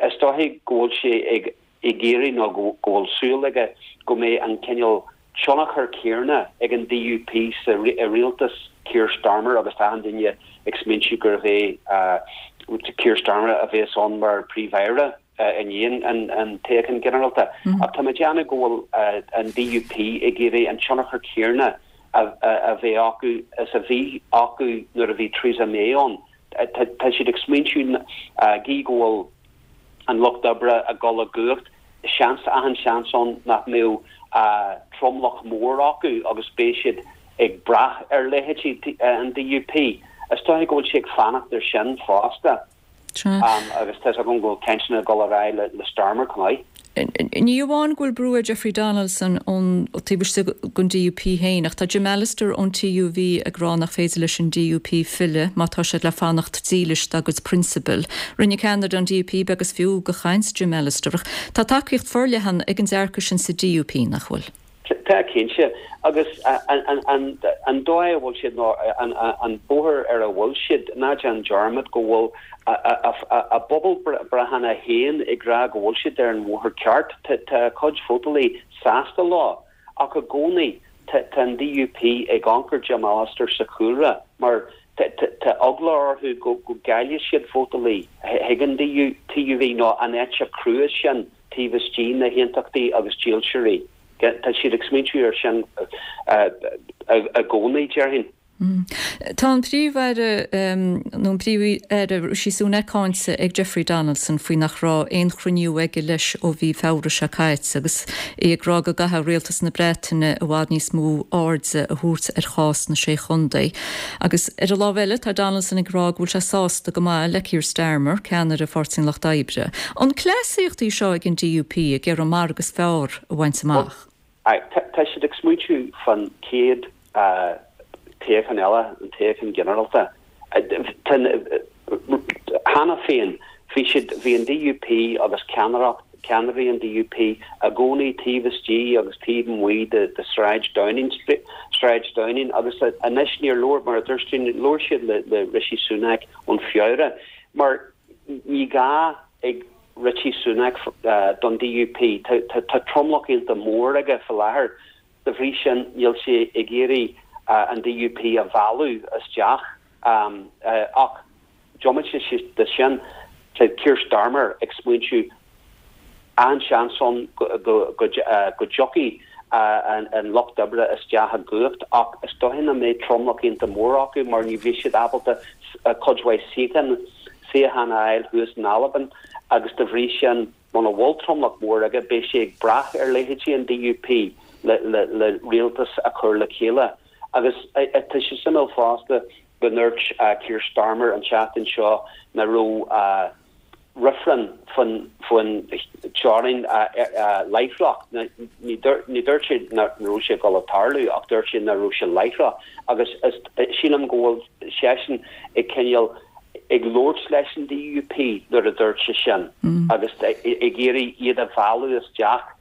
Is dóichí go bhfuil sé ag iarraidh nó go bhfuil súil aige go mbeidh an cineál tionchar céanna ag an DUP sa rialtas Keir Starmer agus tá achan duine ag smaointiú gurbh é Keir Starmer a bheas ann mar Phríomh-Aire. i ndiaidh an toghcháin ghinearálta. Ach tá mé ag déanamh go bhfuil an DUP ag iarraidh an tionchar céanna a bheith acu is a bhí acu nuair a bhí Theresa May ann. Tá siad ag smaointiú gí go bhfuil an Lucht Oibre ag dul i gcumhacht, seans, achan seans ann nach mbeadh tromlach mór acu agus beidh siad ag brath ar leithéidí an DUP. Is dóiche go bhfuil sé ag fanacht ar sin fosta. Agus tá 'fhios agam go bhfuil cainteanna ag dul ar aghaidh le Starmer chomh maith. Ní amháin go bhfuil brú ar Jeffrey Donaldson ón taobh istigh den DUP féin, ach tá Jim Allister ón TUV ag rá nach féidir leis an DUP filleadh má tá siad le fanacht dílis dá gcuid prionsabail. Rinne ceannaire an DUP beag is fiú de chaint Jim Allister ach tá tacaíocht forleathan ag an dearcadh sin sa DUP, nach bhfuil? Tá, cinnte. Agus an dóigh a bhfuil siad, nó an bóthar ar a bhfuil siad, ná déan dearmad go bhfuil a bpobalbhreitheanna féin ag rá go bhfuil siad ar an bhóthar ceart. Tá a cuid vótálaí sásta leo. Ach i gcónaí tá an DUP ag amharc ar Jim Allister sa chúlra mar tá eagla orthu go gcaillfidh siad vótálaí chuig an TUV nó an eite chrua sin taobh istigh na haontachtaí agus dílseoirí. Tá siad ag smaointiú ar sin i gcónaí, déarfainn. Tá an Príomh-Aire nó an Príomh-Aire Rishi Sunak cáinte ag Jeffrey Donaldson faoi nach raibh aon chruinniú aige leis ó mhí Feabhra seo caite agus é ag rá go gcaithfidh Rialtas na Breataine i bhfad níos mó airde a thabhairt ar chás na Sé Chontae. Agus ar an lámh eile tá Donaldson ag rá go bhfuil sé sásta go maith le Keir Starmer, ceannaire Pháirtí an Lucht Oibre. An cleasaíocht í seo ag an DUP ag iarraidh an margadh is fearr a bhaint amach? Tá siad ag smaointiú fan chéad toghchán eile, an toghchán ginearálta. Cheana féin, bhí siad, bhí an DUP agus ceannaireacht, ceannairí an DUP i gcónaí taobh istigh agus taobh amuigh de de Sráid Downing Street, Sráid Downing agus anois níor labhair, mar a dúirt tú, labhair siad le le Rishi Sunak ón Feabhra mar ní gá ag Rishi Sunak don DUP. Tá tromlach iontach mór aige faoi láthair. De bhrí sin, níl sé ag iarraidh an DUP a mhealladh isteach. Ach diomaite de sin, Tá Keir Starmer ag smaointiú an-seans ann go dtiocfaidh an Lucht Oibre isteach i gcumhacht ach is dóiche nach mbeidh tromlach iontach mór acu mar ní bheidh siad ábalta cuid mhaith suíochán suíochán a fháil thuas in Albain agus de bhrí sin muna bhfuil tromlach mór aige beidh sé ag brath ar leithéidí an DUP le le le rialtas a chur le chéile. Agus tá sé suimiúil fosta go ndúirt Keir Starmer an tseachtain seo nach raibh reifreann faoin teorainn láithreach. Ní dúirt sé nach raibh sé ag dul a tarlú ach dúirt sé nach raibh sé láithreach agus sílim go bhfuil seisean ag cineál ag labhairt leis an DUP nuair a dúirt sé sin agus ag iarraidh iad a mhealladh isteach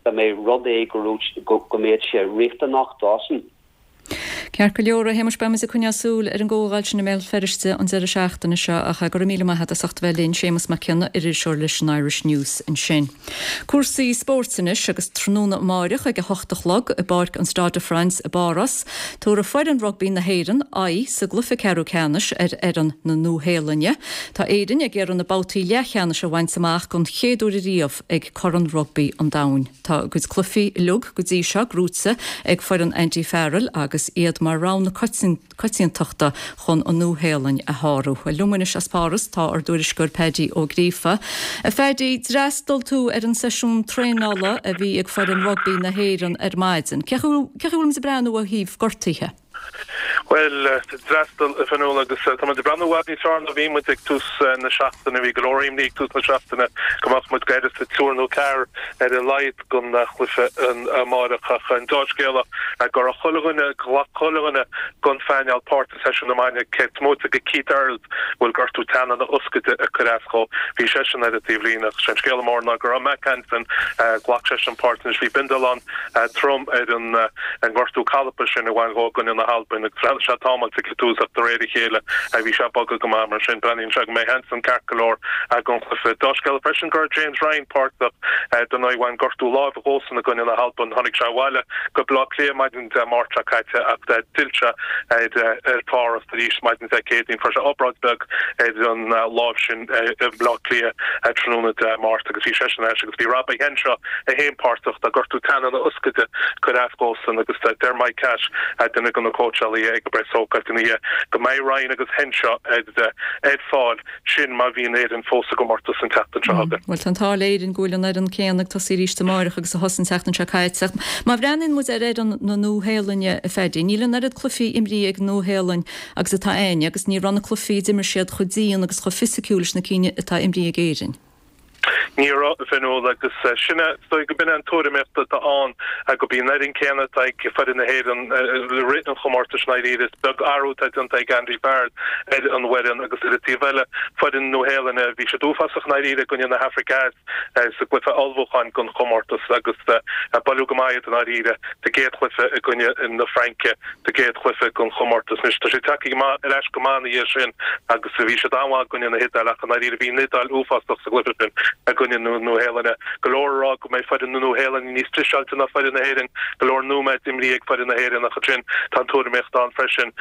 dá mbeadh rud é go go mbeadh sé riachtanach dósan. Ceart go leor, a Shéamais, beimid ag coinneáil súil ar an gcomhdháil sin i mBéal Feirste an deireadh seachtaine seo ach go raibh míle maith agat as ucht a bheith linn, Séamus Mac Cionnaith, iriseoir leis an Irish News ansin. Cúrsaí spóirt anois agus tráthnóna amáireach ag a hocht a chlog i bPáirc an Stade de France i bPáras, tabharfaidh foireann rugbaí na hÉireann aghaidh sa gcluiche ceathrú ceannais ar fhoireann na Nua-Shéalainne. Tá Éirinn ag iarraidh na babhtaí leathcheannais a bhaint amach don chéad uair ariamh ag Corn Rugbaí an Domhain. Tá a gcuid cluichí uilig go dtí seo gnóthaithe ag foireann Andy Farrell agus iad mar rogha na coitiantachta chun an Nua-Shéalainn a shárú. Liom anois as Páras tá ár dtuairisceoir Paddy Ó Gríofa. A Phaddy, d'fhreastail tú ar an seisiún traenála a bhí ag foireann rugbaí na hÉireann ar maidin. Cé chaoi a bhfuil muid ag breathnú ó thaobh gortuithe? Bhuel, d'fhreastail a Fhionnuala agus tá muid ag breathnú i bhfad níos fearr ná bhí muid ag tús na seachtaine. Bhí go leor imní ag tús na seachtaine go mbeadh muid gairid triúr nó ceathrar ar a laghad don chluiche amáireach ach an dea-scéala go raibh chuile dhuine, ghlac chuile dhuine den phainéal páirt i seisiún na maidine, cé is móite de Keith Earls a bhfuil gortú teannán na hioscaide ag cur as dhó. Bhí seisean ar an taobhlíne ach sé an scéala mór ná go raibh Mack Hansen, ghlac seisean páirt anois. Bhí bindealán trom ar an ngortú calpa sin a bhain dhó i gcoinne na hAlban agus bhreathnaigh sé támáilte ag an tús ach de réir a chéile bhí sé ag bogadh go maith mar sin breathnaíonn sé go mbeidh Hansen ceart go leor don chluiche. Dea-scéala freisin go raibh James Ryan páirteach dar ndóigh bhain gortú láimhe dhósan i gcoinne na hAlban. Tháinig sé abhaile go Baile Átha Cliath maidin Dé Máirt seo caite ach d'fhill sé ar Pháras arís maidin Dé Céadaoin. Fuair sé obráid bheag ar an láimh sin i mBaile Átha Cliath tráthnóna Dé Máirt agus bhí seisean ar ais agus bhí Robbie Henshaw é féin páirteach tá gortú teannán na hioscaide ag cur as dhósan agus deir Mike Cash, duine de na cóitseálaithe ag an bpreasócáid ina dhiaidh, go mbeidh Ryan agus Henshaw ar fáil, sin má bhíonn Éirinn fós i gcomórtas an tseachtain seo chugainn. Bhuel, tá an t-ádh le Éirinn go bhfuil an fhoireann céanna ag tosaí arís amáireach agus a thosaigh an tseachtain seo caite. Ach má bhreathnaíonn muid ar fhoireann na Nua-Shéalainne, a Phaddy, níl an oiread cluichí imrithe ag Nua-Shéalainn agus atá againne agus ní raibh na cluichí a d'imir siad chomh dian agus chomh fisiciúil leis na cinn atá imrithe ag Éirinn. Ní raibh, a Fhionnuala, agus sin é, is dóigh go b'in é an tuairimíocht atá ann, gurb í an fhoireann céanna atá ag foireann na hÉireann i rith an chomórtais i ndáiríre. Is beag athrú atá déanta ag Andy Farrell ar an bhfoireann agus ar an taobh eile, foireann na Nua-Shéalainne, bhí siad uafásach i ndáiríre i gcoinne na hAfraice Theas sa gcluiche ullmhúcháin don chomórtas agus buaileadh go maith iad i ndáiríre sa gcéad chluiche i gcoinne na Fraince sa gcéad chluiche den chomórtas. Anois tá siad tagtha ar ais go maith ina dhiaidh sin agus bhí siad an-mhaith i gcoinne na hIodáile ach i ndáiríre bhí an Iodáil uafásach sa gcluiche sin i gcoinne na Nua-Shéalainne. Go leor ag rá go mbeidh foireann na Nua-Shéalainne níos dreiseáilte ná foireann na hÉireann, go leor nóiméad imrithe ag foireann na hÉireann ach ansin tá an tuairimíocht ann freisin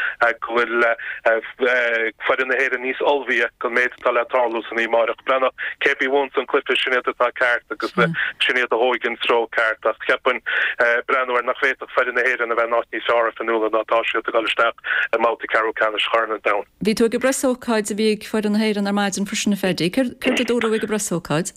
go bhfuil foireann na hÉireann níos ullmhaithe don méid atá le tarlú san oíche amárach. Breathnóidh cé a bhuann an cluiche sin iad atá ceart agus sin iad a thógfaidh an treo ceart ach cheapfainn breathnú air nach bhféadfadh foireann na hÉireann a bheith in áit níos fearr a Fhionnuala ná atá siad ag dul isteach i mbabhta ceathrú ceannais Chorn an Domhain. Bhí tú ag an bpreasócáid a bhí ag foireann na hÉireann ar maidin freisin a Phaddy. Céard a dúradh ag an bpreasócáid?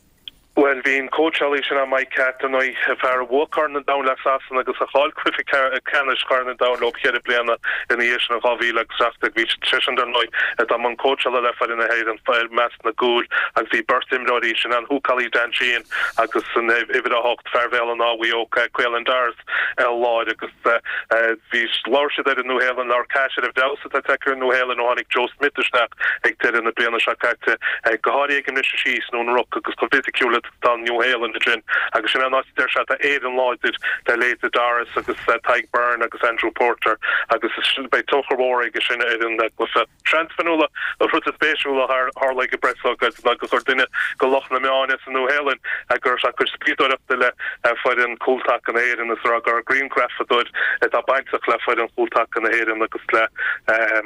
Bhuel, bhí an cóitseálaí sin ann, Mike Catt, ar ndóigh, fear a bhuaigh Corn an Domhain le Sasana agus a chaill cluiche ceannais Chorn an Domhain leo ceithre bliana ina dhiaidh sin in dhá mhíle agus seacht déag. Bhí seisean, dar ndóigh, atá i mbun cóitseála le foireann na hÉireann i measc na gcúil agus bhí beirt imreoirí, sin an húcálaí Dan Sheehan agus an uimhir a hocht, fear Bhéal an Átha Mhaigh Eo, Caelan Doris i lár agus bhí, labhair siad ar an Nua-Shéalainn, labhair Cash ar an bhfeabhas atá tagtha ar an Nua-Shéalainn ó tháinig Joe Smith isteach ag deireadh na bliana seo caite, go háirithe ag an mbriseadh síos nó an ruc agus chomh fisiciúil Tá an Nua-Shéalainn ansin agus sin an áit a deir sé tá Éirinn láidir le leithéide Doris agus Tadhg Beirne agus Andrew Porter agus beidh tionchar mhór aige sin ar an gcluiche. Seans Fionnuala, an rud is spéisiúla a tharla ag an bpreasócáid ná gur chuir duine de lucht na meán as an Nua-Shéalainn go raibh sé ag cur spiadóireachta le foireann cúltaca na hÉireann is a rá gur grianghrafadóir atá bainteach le foireann chúltaca na hÉireann agus le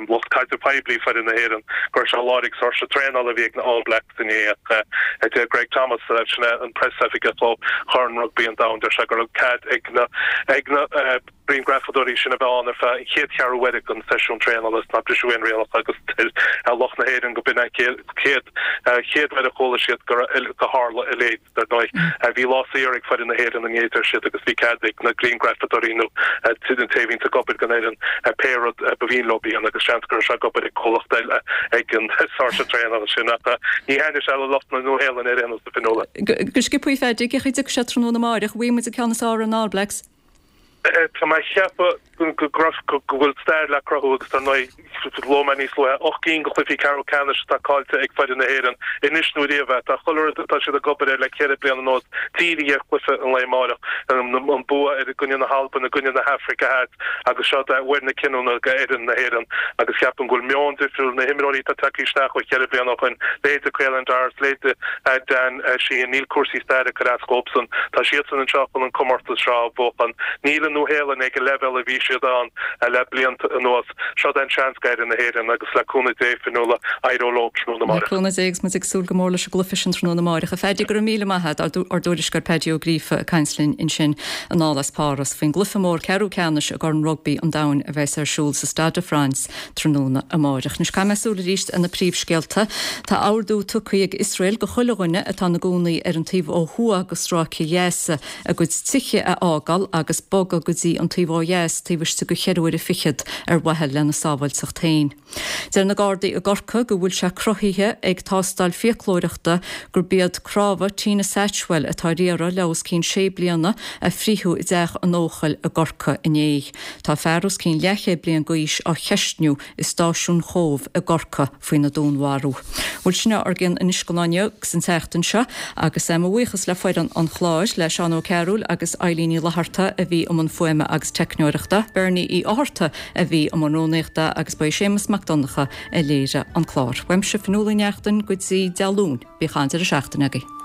lucht caidreamh poiblí foireann na hÉireann go raibh sé i láthair ag saoirse traenála a bhí ag na All Blacks inné ach a deir Greg Thomas sin é an preasoifigeach ó Chorn Rugbaí an Domhain deir sé go raibh cead ag na ag na grianghrafadóirí sin a bheith ann ar feadh an chéad cheathrú uaire den seisiún traenála is nár briseadh aon rialacha agus deir lucht na hÉireann go b'in an chéad chéad uair a chuala siad go go tharla a leithéid. Dar ndóigh, bhí lá saor ag foireann na hÉireann inné deir siad agus bhí cead ag na grianghrafadóirí nó an té a bhíonns ag obair don fhoireann pé rud ba mhian leo a dhéanamh agus seans go raibh sé ag obair ag comhlacht eile ag an saoirse traenála sin ach ní thaitnigh sé le lucht na Nua-Shéalainne ar aon nós, a Fionnuala. Go sciobtha, a Phaddy, cén chaoi a dtiocfaidh sé tráthnóna amáireach, an bhfaighidh muid an ceann is fearr ar na All Blacks? Tá mé ag ceapadh go go bhfuil stair le cruthú agus dar ndóigh luaigh mé níos luaithe ocht gcinn de chluichí ceathrú ceannais atá caillte ag foireann na hÉireann anois nó riamh é. Tá chuile rud atá siad ag obair air le ceithre bliana anuas dírithe ar chluiche an lae amáireach, an bua i gcoinne na hAlban, i gcoinne na hAfraice Theas agus seo é uair na cinniúna do fhoireann na hÉireann agus ceapaim go bhfuil meon difriúil, na himreoirí atá tagtha isteach ó cheithre bliana ó shoin, leithéide Caelan Doris, leithéide Dan Sheehan, níl cúrsaí staire ag cur as dhóibhsan. Tá siadsan anseo chun an comórtas seo a bhuachan. Níl an Nua-Shéalainn ag an leibhéal a bhí siad ann le blianta anuas. Seo é an seans d'fhoireann na hÉireann agus le cúnamh Dé, Fionnuala, éireoidh leo tráthnóna Le amárach. cúnamh Dé agus muid ag súil go mór leis an gcluiche sin tráthnóna amárach. A Phaddy, go raibh míle maith agat, ár dtuairisceoir Paddy Ó Gríofa ag caint linn ansin anall as Páras faoin gcluiche mór ceathrú ceannais i gCorn Rugbaí an Domhain a bheas ar siúl sa Stade de France tráthnóna amárach. Anois caithfidh mé súil arís ar na príomhscéalta. Tá ordú tugtha ag Iosrael go chuile dhuine atá ina gcónaí ar an taobh ó thuaidh de stráice Ghaza a gcuid tithe a fhágáil agus bogadh go dtí an taobh ó dheas taobh istigh de cheithre huaire fichead ar mhaithe lena sábháilteacht féin. Deir na Gardaí i gCorcaigh go bhfuil sé cruthaithe ag tástáil fiaclóireachta gurb iad cnámha Tina Satchwell atá ar iarraidh le os cionn sé bliana a frítheadh i dteach an Eochaill i gCorcaigh inné. Tá fear os cionn leathchéad bliain d'aois á cheistniú i stáisiún Chóbh i gCorcaigh faoina dúnmharú. Bhuel sin ár gcionn anois don lá inniu agus an tseachtain seo agus mo bhuíochas le foireann an chláir, le Seán Ó Cearúil agus Eilín Ní Fhlatharta a bhí i mbun fuaime agus teicneoireachta, Bernie Uí Fhátharta a bhí i mbun rúnaíochta agus ba é Séamus Mac Donncha a léirigh an clár. Uaimse Fionnuala Ní Neachtain go dtí Dé Luain, bíodh an-deireadh seachtaine agaibh.